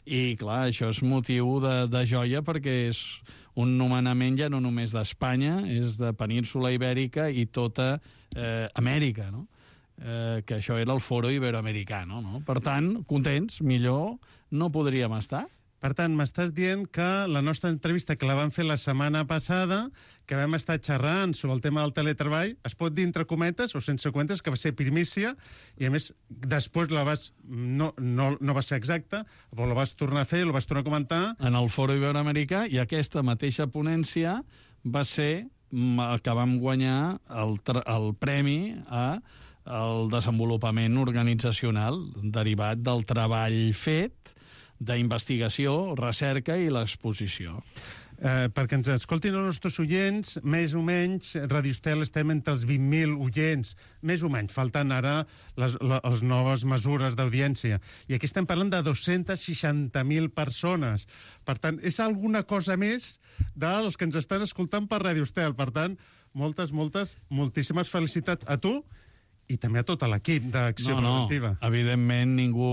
I, clar, això és motiu de joia perquè és un nomenament ja no només d'Espanya, és de Península Ibèrica i tota Amèrica, no? Que això era el Foro Iberoamericano, no? Per tant, contents, millor no podríem estar. Per tant, m'estàs dient que la nostra entrevista, que la vam fer la setmana passada, que vam estar xerrant sobre el tema del teletreball, es pot dir entre cometes o sense cometes, que va ser primícia, i a més, després no va ser exacta, però la vas tornar a fer, la vas tornar a comentar. En el Foro Iberoamericà, i aquesta mateixa ponència va ser que vam guanyar el premi al desenvolupament organitzacional derivat del treball fet, d'investigació, recerca i l'exposició. Perquè ens escoltin els nostres oients, més o menys, Radio Estel estem entre els 20.000 oients, més o menys, falten ara les noves mesures d'audiència. I aquí estem parlant de 260.000 persones. Per tant, és alguna cosa més dels que ens estan escoltant per Radio Estel. Per tant, moltíssimes felicitats a tu i també a tot l'equip d'Acció Preventiva. Evidentment, ningú...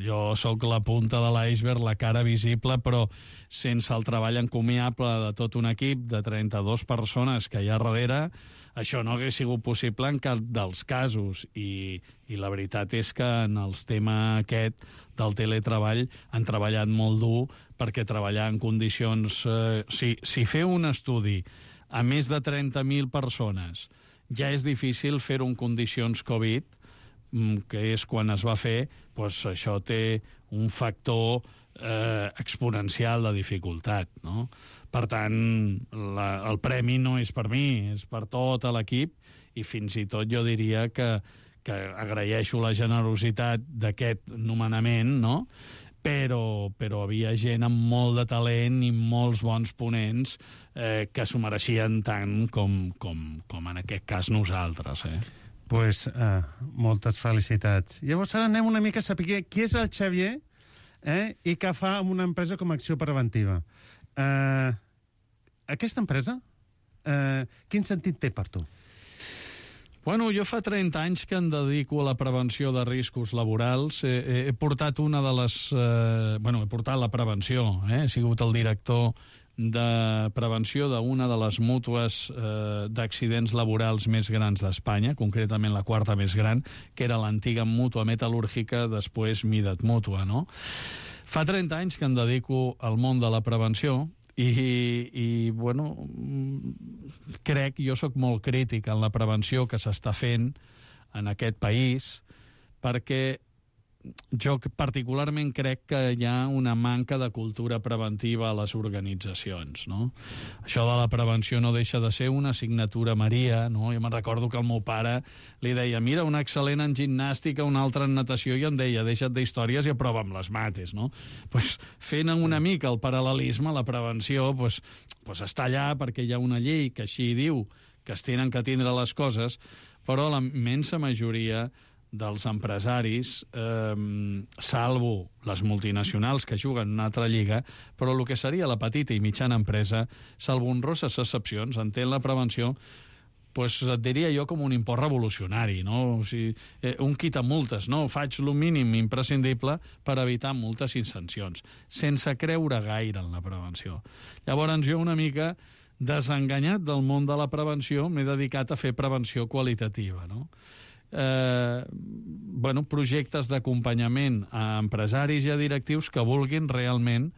jo sóc la punta de l'iceberg, la cara visible, però sense el treball encomiable de tot un equip de 32 persones que hi ha darrere, això no hagués sigut possible en cap dels casos. I la veritat és que en el tema aquest del teletreball han treballat molt dur, perquè treballar en condicions... Si fer un estudi a més de 30.000 persones ja és difícil fer-ho en condicions Covid, que és quan es va fer, doncs això té un factor exponencial de dificultat, no? Per tant, el premi no és per mi, és per tot l'equip, i fins i tot jo diria que agraeixo la generositat d'aquest nomenament, no? Però havia gent amb molt de talent i molts bons ponents que s'ho mereixien tant com en aquest cas nosaltres. Doncs moltes felicitats. Llavors ara anem una mica a saber qui és el Xavier i què fa amb una empresa com Acció Preventiva. Aquesta empresa, quin sentit té per tu? Jo fa 30 anys que em dedico a la prevenció de riscos laborals. He portat he portat la prevenció. He sigut el director de prevenció d'una de les mútues d'accidents laborals més grans d'Espanya, concretament la quarta més gran, que era l'antiga mútua metal·lúrgica, després Midat Mútua, no? Fa 30 anys que em dedico al món de la prevenció, i crec, jo sóc molt crític en la prevenció que s'està fent en aquest país, perquè jo particularment crec que hi ha una manca de cultura preventiva a les organitzacions, no? Això de la prevenció no deixa de ser una assignatura Maria, no? Jo me'n recordo que el meu pare li deia, mira, un excel·lent en gimnàstica, un altre en natació, i em deia, deixa't d'històries i aprova amb les mates, no? Fent una mica el paral·lelisme, la prevenció està allà perquè hi ha una llei que així diu que es tenen que atendre les coses, però la immensa majoria dels empresaris, salvo les multinacionals que juguen en una altra lliga, però el que seria la petita i mitjana empresa, salvo honroses excepcions, entén la prevenció, et diria jo com un import revolucionari, no? O sigui, un quitamultes, no? Faig el mínim imprescindible per evitar multes i sancions, sense creure gaire en la prevenció. Llavors jo una mica desenganyat del món de la prevenció m'he dedicat a fer prevenció qualitativa, no? Projectes d'acompanyament a empresaris i a directius que vulguin realment,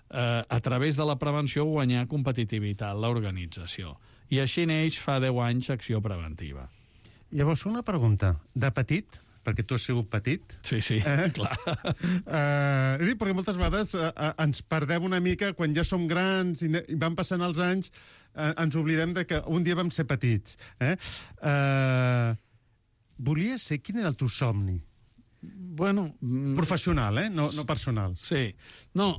a través de la prevenció, guanyar competitivitat a l'organització. I així neix fa 10 anys Acció Preventiva. Llavors, una pregunta. De petit, perquè tu has sigut petit... Sí, clar. Perquè moltes vegades ens perdem una mica quan ja som grans i van passant els anys, ens oblidem de que un dia vam ser petits. Volies ser... Quin era el teu somni? Bueno... Professional, no personal. Sí. No,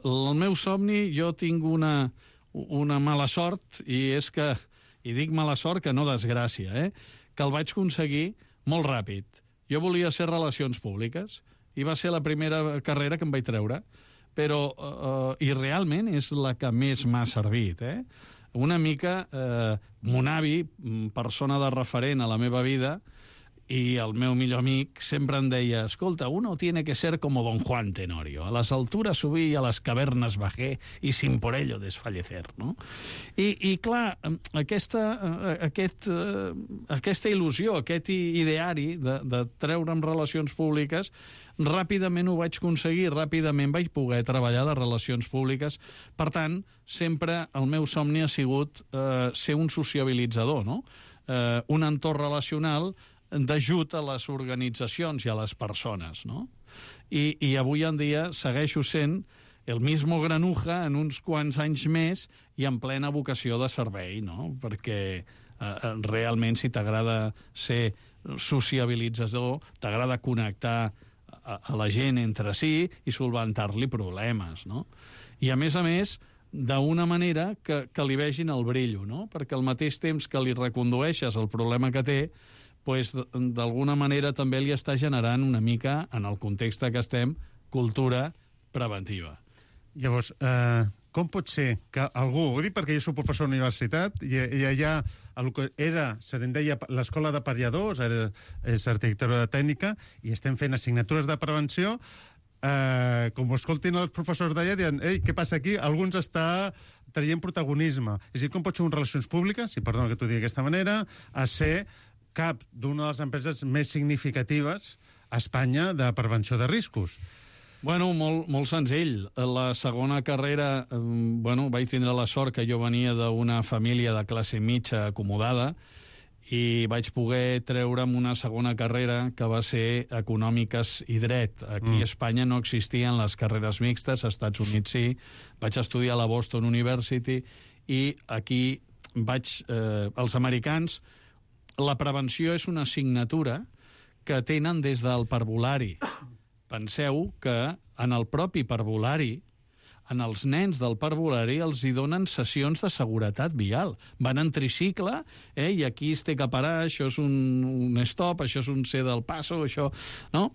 el meu somni, jo tinc una mala sort, i és que, i dic mala sort que no desgràcia, que el vaig aconseguir molt ràpid. Jo volia ser Relacions Públiques, i va ser la primera carrera que em vaig treure, però, i realment és la que més m'ha servit, Una mica, mon avi, persona de referent a la meva vida, i el meu millor amic sempre em deia, escolta, uno tiene que ser como Don Juan Tenorio, a las alturas subí y a las cavernas bajé y sin por ello desfallecer, no? I clar, aquesta il·lusió, aquest ideari de treure'm Relacions Públiques, ràpidament ho vaig aconseguir, ràpidament vaig poder treballar de Relacions Públiques. Per tant, sempre el meu somni ha sigut ser un sociabilitzador, no? Un entorn relacional d'ajut a les organitzacions i a les persones, no? I avui en dia segueixo sent el mismo granuja en uns quants anys més i en plena vocació de servei, no? Perquè realment si t'agrada ser sociabilitzador, t'agrada connectar a la gent entre si i solventar-li problemes, no? I a més, d'una manera que li vegin el brillo, no? Perquè al mateix temps que li recondueixes el problema que té, pues, d'alguna manera també li està generant una mica, en el context que estem, cultura preventiva. Llavors, com pot ser que algú, ho dic perquè jo soc professor a la universitat, i allà el que era, se n'en deia l'escola de pariadors, és arquitectura tècnica, i estem fent assignatures de prevenció, com ho escoltin els professors d'allà, diuen, ei, què passa aquí? Alguns està traient protagonisme. És a dir, com pot ser un Relacions Públiques, i perdona que t'ho digui d'aquesta manera, a ser cap d'una de les empreses més significatives a Espanya de prevenció de riscos? Bueno, molt senzill. La segona carrera, vaig tindre la sort que jo venia d'una família de classe mitja acomodada i vaig poder treure'm una segona carrera que va ser Econòmiques i Dret. Aquí a Espanya no existien les carreres mixtes, als Estats Units sí. Vaig estudiar a la Boston University i aquí els americans, la prevenció és una assignatura que tenen des del parvulari. Penseu que en el propi parvulari, en els nens del parvulari, els hi donen sessions de seguretat vial. Van en tricicle, i aquí es té que parar, això és un stop, això és un C del passo, això... No?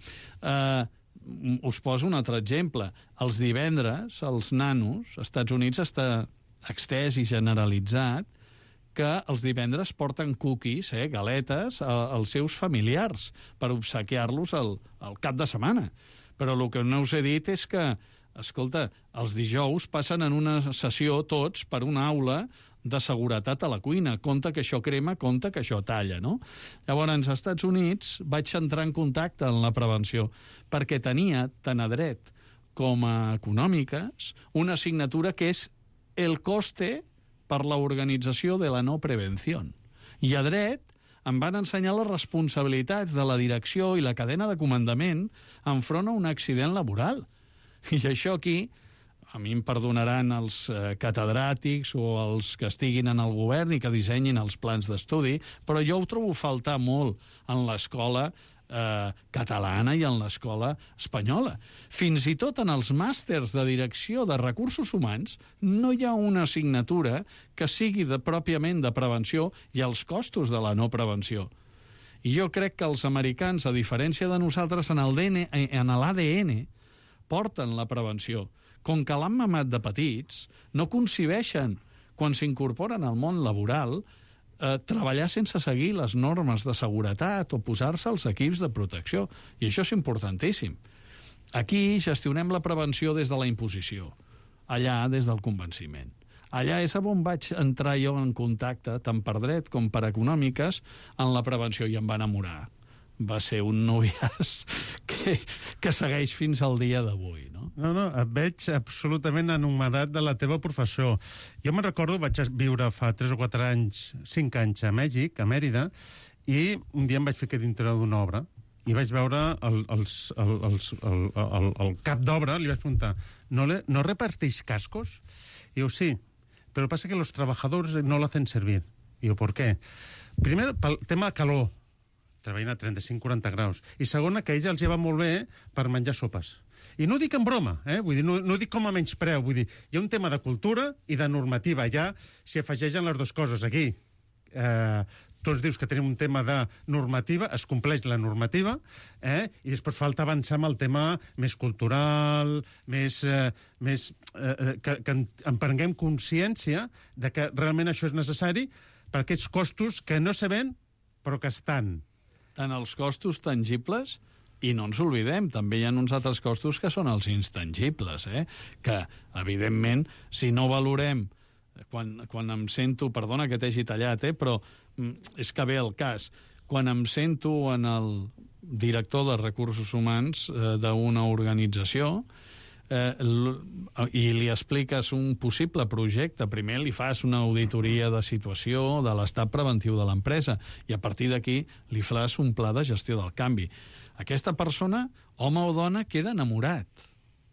Us poso un altre exemple. Els divendres, els nanos, als Estats Units està extès i generalitzat que els divendres porten cookies, galetes, als seus familiars per obsequiar-los al cap de setmana. Però el que no us he dit és que, escolta, els dijous passen en una sessió tots per una aula de seguretat a la cuina. Compte que això crema, compte que això talla, no? Llavors, als Estats Units vaig entrar en contacte amb la prevenció perquè tenia, tant a dret com a econòmiques, una assignatura que és el coste per l'organització de la no prevenció. I a dret em van ensenyar les responsabilitats de la direcció i la cadena de comandament enfront a un accident laboral. I això aquí, a mi em perdonaran els catedràtics o els que estiguin en el govern i que dissenyin els plans d'estudi, però jo ho trobo faltar molt en l'escola catalana i en l'escola espanyola. Fins i tot en els màsters de direcció de recursos humans no hi ha una assignatura que sigui pròpiament de prevenció i els costos de la no prevenció. I jo crec que els americans, a diferència de nosaltres, en l'ADN porten la prevenció. Com que l'han mamat de petits, no concebeixen, quan s'incorporen al món laboral, treballar sense seguir les normes de seguretat o posar-se als equips de protecció. I això és importantíssim. Aquí gestionem la prevenció des de la imposició, allà des del convenciment. Allà és on vaig entrar jo en contacte, tant per dret com per econòmiques, en la prevenció, i em va enamorar. va ser un noviàs que segueix fins al dia d'avui, no? No, et veig absolutament enumerat de la teva professió. Jo me'n recordo, vaig viure fa 3 o 4 anys, 5 anys a Mèxic, a Mèrida, i un dia em vaig ficar dintre d'una obra i vaig veure el cap d'obra, li vaig preguntar, ¿no repartís cascos? Y diu, sí, pero pasa que los trabajadores no lo hacen servir. Y diu, ¿por qué? Primer, pel tema de calor, treballant a 35-40 graus. I segona, que a ells els va molt bé per menjar sopes. I no ho dic en broma, vull dir, no ho dic com a menyspreu, vull dir, hi ha un tema de cultura i de normativa, ja s'hi afegeixen les dues coses. Aquí, tu ens dius que tenim un tema de normativa, es compleix la normativa, i després falta avançar amb el tema més cultural, que en prenguem consciència de que realment això és necessari per aquests costos que no sabem, però que estan. Tant els costos tangibles, i no ens oblidem, també hi ha uns altres costos que són els intangibles, que, evidentment, si no valorem, quan em sento, perdona que t'hagi tallat, però és que ve el cas, quan em sento en el director de recursos humans d'una organització, i li expliques un possible projecte, primer li fas una auditoria de situació de l'estat preventiu de l'empresa i a partir d'aquí li fas un pla de gestió del canvi. Aquesta persona, home o dona, queda enamorat.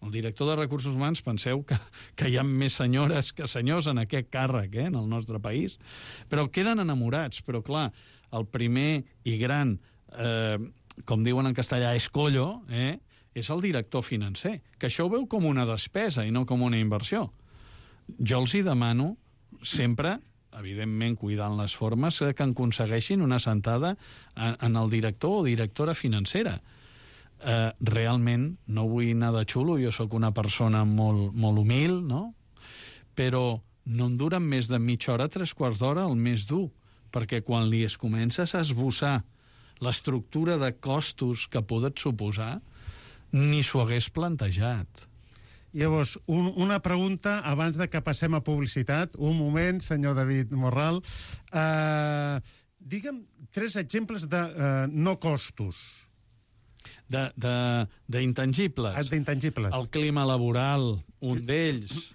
El director de recursos humans, penseu que hi ha més senyores que senyors en aquest càrrec, en el nostre país, però queden enamorats. Però, clar, el primer i gran, com diuen en castellà, escollo, és el director financer, que això ho veu com una despesa i no com una inversió. Jo els hi demano sempre, evidentment cuidant les formes, que en aconsegueixin una sentada en el director o directora financera. Realment, no vull anar de xulo, jo sóc una persona molt humil, no? Però no em duren més de mitja hora, 3/4 d'hora, el més dur, perquè quan li es comences a esbossar l'estructura de costos que podet suposar, ni s'ho hagués plantejat. Llavors, una pregunta abans de que passem a publicitat. Un moment, senyor David Morral. Digue'm 3 exemples de no costos. D'intangibles. D'intangibles. El clima laboral, un d'ells.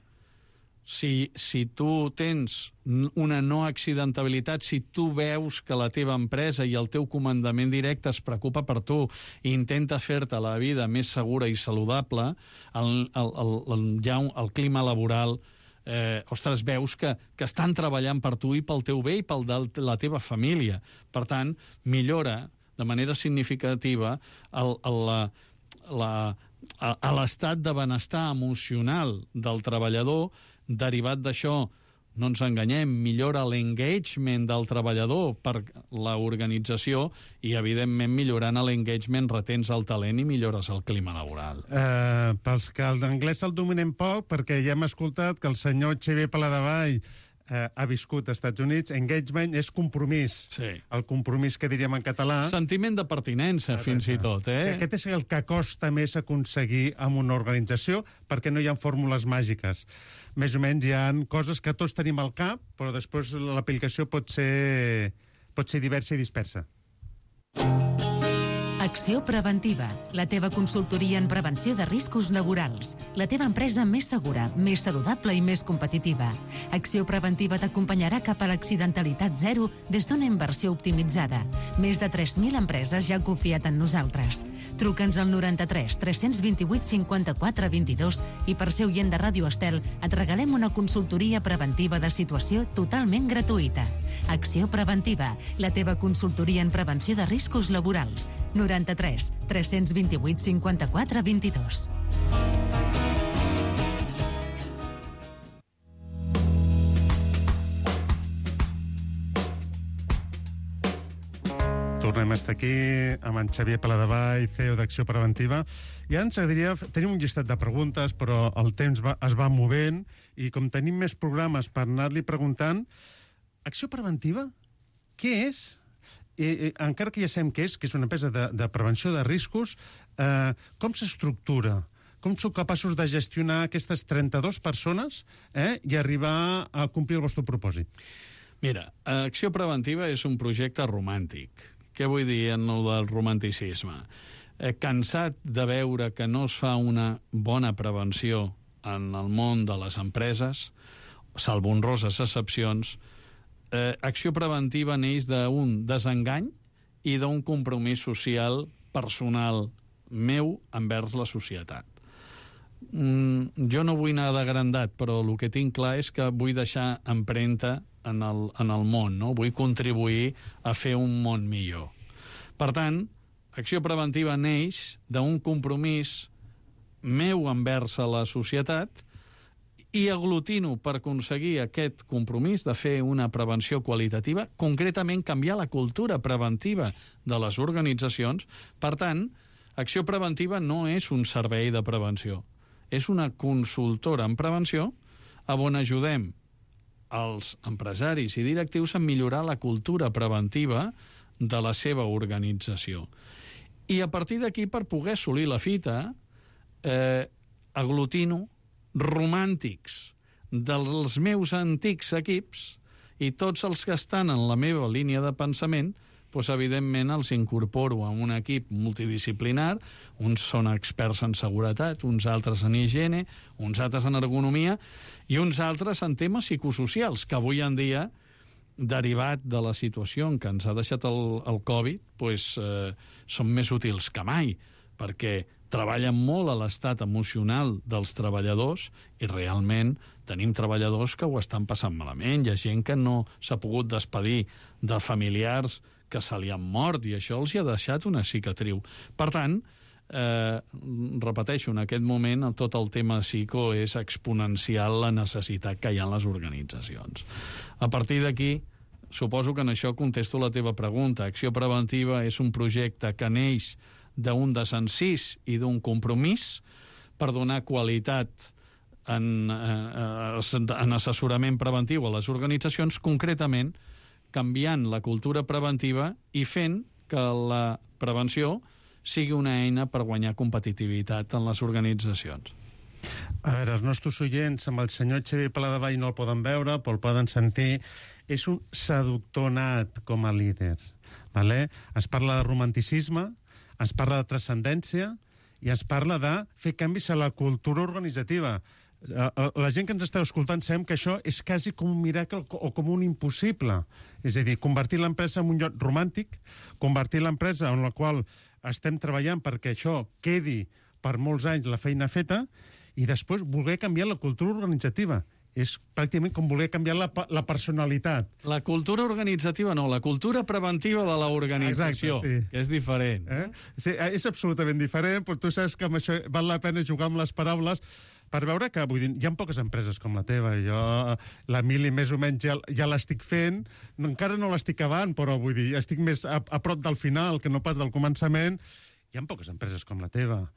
Si tu tens una no accidentabilitat, si tu veus que la teva empresa i el teu comandament directe es preocupa per tu i intenta fer-te la vida més segura i saludable, el clima laboral, veus que estan treballant per tu i pel teu bé i pel de la teva família. Per tant, millora de manera significativa l'estat de benestar emocional del treballador. Derivat d'això, no ens enganyem, millora l'engagement del treballador per l'organització i, evidentment, millorant l'engagement retens el talent i millores el clima laboral. Pels que l'anglès el dominem poc, perquè ja hem escoltat que el senyor Xavier Paladevall ha viscut als Estats Units, engagement és compromís. Sí. El compromís que diríem en català. Sentiment de pertinença, fins i tot. Aquest és el que costa més aconseguir amb una organització, perquè no hi ha fórmules màgiques. Més o menys hi ha coses que tots tenim al cap, però després l'aplicació pot ser diversa i dispersa. Acció Preventiva, la teva consultoria en prevenció de riscos laborals. La teva empresa més segura, més saludable i més competitiva. Acció Preventiva t'acompanyarà cap a l'accidentalitat zero des d'una inversió optimitzada. Més de 3.000 empreses ja han confiat en nosaltres. Truca'ns al 93 328 54 22 i per ser oient de Ràdio Estel et regalem una consultoria preventiva de situació totalment gratuïta. Acció Preventiva, la teva consultoria en prevenció de riscos laborals. 93 328 54 22. Tornem a estar aquí amb en Xavier Paladevall, CEO d'Acció Preventiva. I ara ens agradaria... Tenim un llistat de preguntes, però el temps es va movent i com tenim més programes per anar-li preguntant, Acció Preventiva, què és? Encara que ja sabem què és una empresa de prevenció de riscos, com s'estructura? Com sou capaços de gestionar aquestes 32 persones i arribar a complir el vostre propòsit? Mira, Acció Preventiva és un projecte romàntic Què vull dir en el del romanticisme? Cansat de veure que no es fa una bona prevenció en el món de les empreses, salvo honroses excepcions, acció preventiva neix d'un desengany i d'un compromís social personal meu envers la societat. Jo no vull anar d'agrandat, però el que tinc clar és que vull deixar empremta en el món, no? Vull contribuir a fer un món millor. Per tant, acció preventiva neix d'un compromís meu envers la societat i aglutino per aconseguir aquest compromís de fer una prevenció qualitativa, concretament canviar la cultura preventiva de les organitzacions. Per tant, acció preventiva no és un servei de prevenció, és una consultora en prevenció on ajudem els empresaris i directius a millorar la cultura preventiva de la seva organització. I a partir d'aquí, per poder assolir la fita, aglutino romàntics dels meus antics equips i tots els que estan en la meva línia de pensament, doncs, evidentment, els incorporo a un equip multidisciplinar. Uns són experts en seguretat, uns altres en higiene, uns altres en ergonomia i uns altres en temes psicosocials, que avui en dia, derivat de la situació en què ens ha deixat el Covid, doncs, són més útils que mai, perquè treballen molt a l'estat emocional dels treballadors i realment tenim treballadors que ho estan passant malament. Hi ha gent que no s'ha pogut despedir de familiars que se li han mort i això els hi ha deixat una cicatriu. Per tant, repeteixo, en aquest moment tot el tema psico és exponencial la necessitat que hi ha en les organitzacions. A partir d'aquí, suposo que en això contesto la teva pregunta. Acció preventiva és un projecte que neix d'un desencís i d'un compromís per donar qualitat en assessorament preventiu a les organitzacions, concretament canviant la cultura preventiva i fent que la prevenció sigui una eina per guanyar competitivitat en les organitzacions. A veure, els nostres oients amb el senyor Xavier Paladevall no el poden veure, però el poden sentir. És un seductor nat com a líder. Vale? Es parla de romanticisme, es parla de transcendència i es parla de fer canvis a la cultura organitzativa. La gent que ens esteu escoltant sabem que això és quasi com un miracle o com un impossible. És a dir, convertir l'empresa en un lloc romàntic, convertir l'empresa en la qual estem treballant perquè això quedi per molts anys la feina feta i després voler canviar la cultura organitzativa. És pràcticament com voler canviar la personalitat. La cultura organitzativa no, la cultura preventiva de l'organització, sí, que és diferent. Sí, és absolutament diferent, però tu saps que amb això val la pena jugar amb les paraules per veure que, vull dir, hi ha poques empreses com la teva. Jo, la Mili, més o menys, ja l'estic fent. Encara no l'estic acabant, però vull dir, estic més a prop del final que no pas del començament. Hi ha poques empreses com la teva,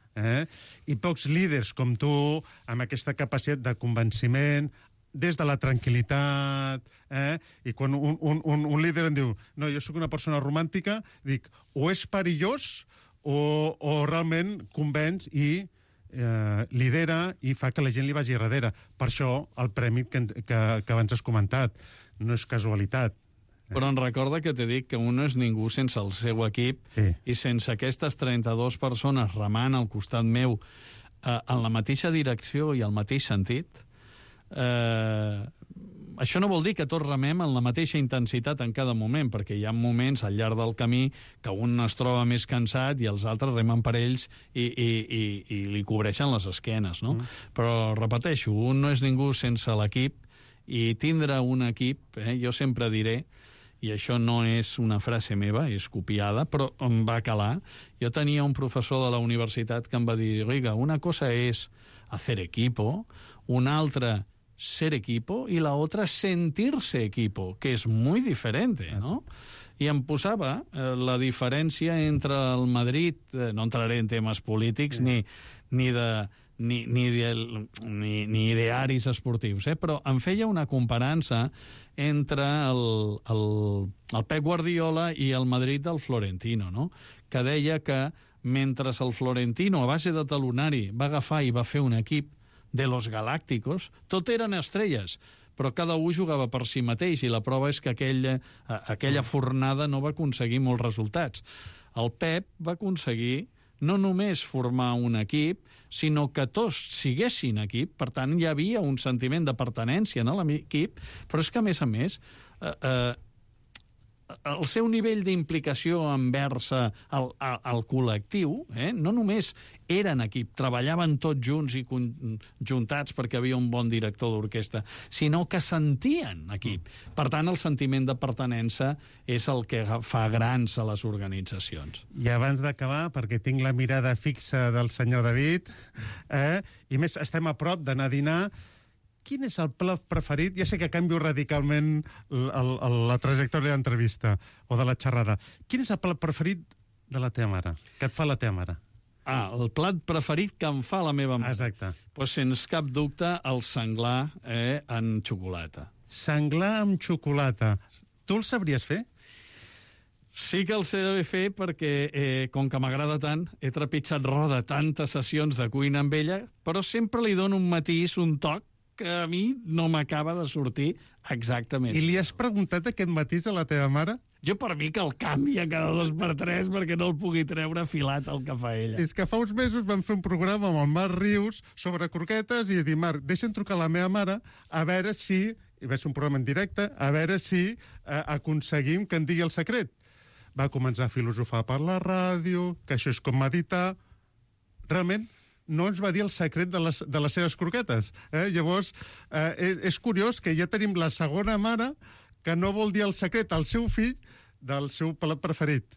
i pocs líders com tu, amb aquesta capacitat de convenciment, des de la tranquil·litat, i quan un líder em diu no, jo sóc una persona romàntica, dic, o és perillós o realment convenç i lidera i fa que la gent li vagi darrere. Per això el premi que abans has comentat no és casualitat. Però en recorda que t'he dit que un no és ningú sense el seu equip, sí, i sense aquestes 32 persones remant al costat meu en la mateixa direcció i al mateix sentit. Això no vol dir que tots remem en la mateixa intensitat en cada moment, perquè hi ha moments al llarg del camí que un es troba més cansat i els altres remen per ells i li cobreixen les esquenes, no? Però, repeteixo, un no és ningú sense l'equip i tindre un equip, jo sempre diré, i això no és una frase meva, és copiada, però em va calar. Jo tenia un professor de la universitat que em va dir, oiga, una cosa és hacer equipo, una altra ser equipo y la otra sentirse equipo, que es muy diferente, ¿no? I em posava la diferència entre el Madrid, no entraré en temes polítics ni idearis esportius, però em feia una comparança entre el Pep Guardiola i el Madrid del Florentino, no? Que deia que mentre el Florentino, a base de talonari, va agafar i va fer un equip de los Galácticos, tot eren estrelles, però cada un jugava per si mateix, i la prova és que aquella fornada no va aconseguir molts resultats. El Pep va aconseguir no només formar un equip, sinó que tots siguessin equip, per tant hi havia un sentiment de pertinença en l'equip, però és que, a més, el seu nivell d'implicació envers el col·lectiu, no només eren equip, treballaven tots junts i conjuntats perquè havia un bon director d'orquestra, sinó que sentien equip. Per tant, el sentiment de pertinença és el que fa grans a les organitzacions. I abans d'acabar, perquè tinc la mirada fixa del senyor David, i més, estem a prop d'anar a dinar, quin és el plat preferit? Ja sé que canvio radicalment la trajectòria de l'entrevista o de la xerrada. Quin és el plat preferit de la teva mare? Que et fa la teva mare? El plat preferit que em fa la meva mare. Exacte. Pues, sens cap dubte, el senglar en xocolata. Senglar amb xocolata. Tu el sabries fer? Sí que el sé de fer perquè, com que m'agrada tant, he trepitjat roda tantes sessions de cuina amb ella, però sempre li dono un matís, un toc, que a mi no m'acaba de sortir exactament. I li has preguntat aquest matís a la teva mare? Jo per mi que el canvia cada 2 per 3 perquè no el pugui treure afilat el que fa ella. És que fa uns mesos vam fer un programa amb el Marc Rius sobre croquetes i dic, Marc, deixa'm trucar a la meva mare a veure si, i va ser un programa en directe, a veure si aconseguim que en digui el secret. Va començar a filosofar per la ràdio, que això és com meditar. Realment, no ens va dir el secret de les seves croquetes. Llavors, és curiós que ja tenim la segona mare que no vol dir el secret al seu fill del seu plat preferit.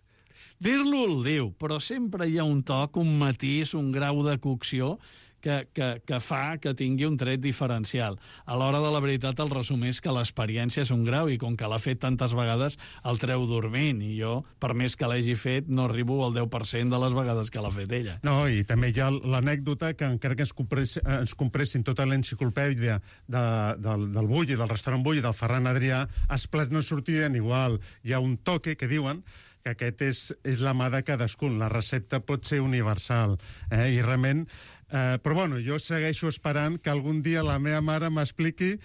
Dir-lo el diu, però sempre hi ha un toc, un matís, un grau de cocció que fa que tingui un tret diferencial. A l'hora de la veritat, el resum és que l'experiència és un grau i com que l'ha fet tantes vegades, el treu dormint. I jo, per més que l'hagi fet, no arribo al 10% de les vegades que l'ha fet ella. No, i també hi ha l'anècdota que encara que ens compressin tota l'enciclopèdia del Bulli, del restaurant Bulli, del Ferran Adrià, els plats no sortirien igual. Hi ha un toque que diuen que aquest és la mà de cadascun. La recepta pot ser universal. I realment... Però bueno, jo segueixo esperant que algun dia la meva mare m'expliqui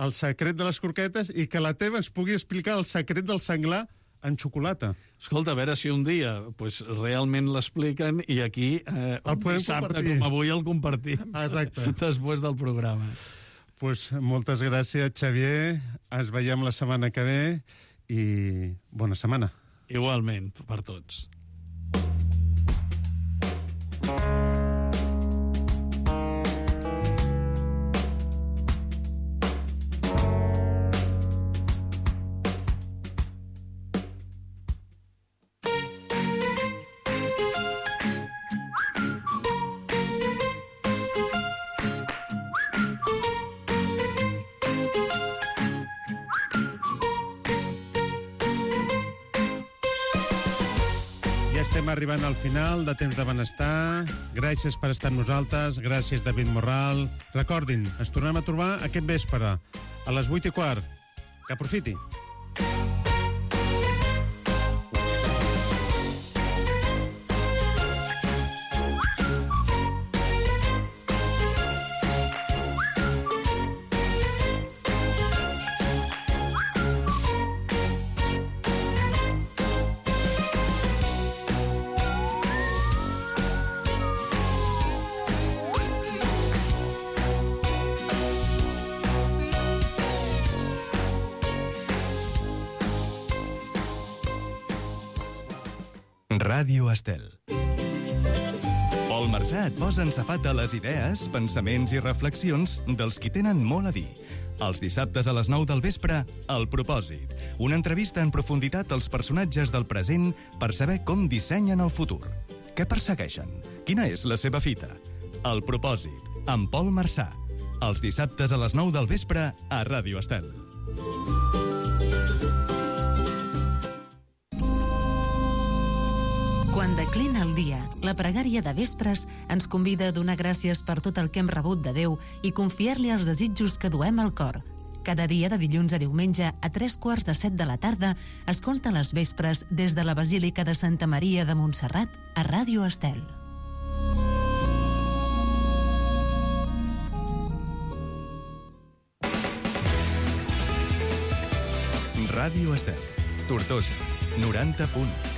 el secret de les croquetes i que la teva ens pugui explicar el secret del senglar en xocolata. Escolta, a veure si un dia realment l'expliquen i aquí un dissabte com avui el compartim. Exacte. Després del programa. Moltes gràcies, Xavier. Ens veiem la setmana que ve i bona setmana. Igualment, per tots. Estem arribant al final de Temps de Benestar. Gràcies per estar amb nosaltres. Gràcies, David Morral. Recordin, ens tornem a trobar aquest vespre, a les 8:15. Que aprofiti. Ràdio Estel. Pol Marsà et posa en safat de les idees, pensaments i reflexions dels qui tenen molt a dir. Els dissabtes a les 9 del vespre, El Propòsit. Una entrevista en profunditat als personatges del present per saber com dissenyen el futur. Què persegueixen? Quina és la seva fita? El Propòsit, amb Pol Marsà. Els dissabtes a les 9 del vespre a Ràdio Estel. Quan declina el dia, la pregària de vespres ens convida a donar gràcies per tot el que hem rebut de Déu i confiar-li els desitjos que duem al cor. Cada dia de dilluns a diumenge a 3:45 de la tarda, escolta les vespres des de la Basílica de Santa Maria de Montserrat a Ràdio Estel. Ràdio Estel, Tortosa, 90.1.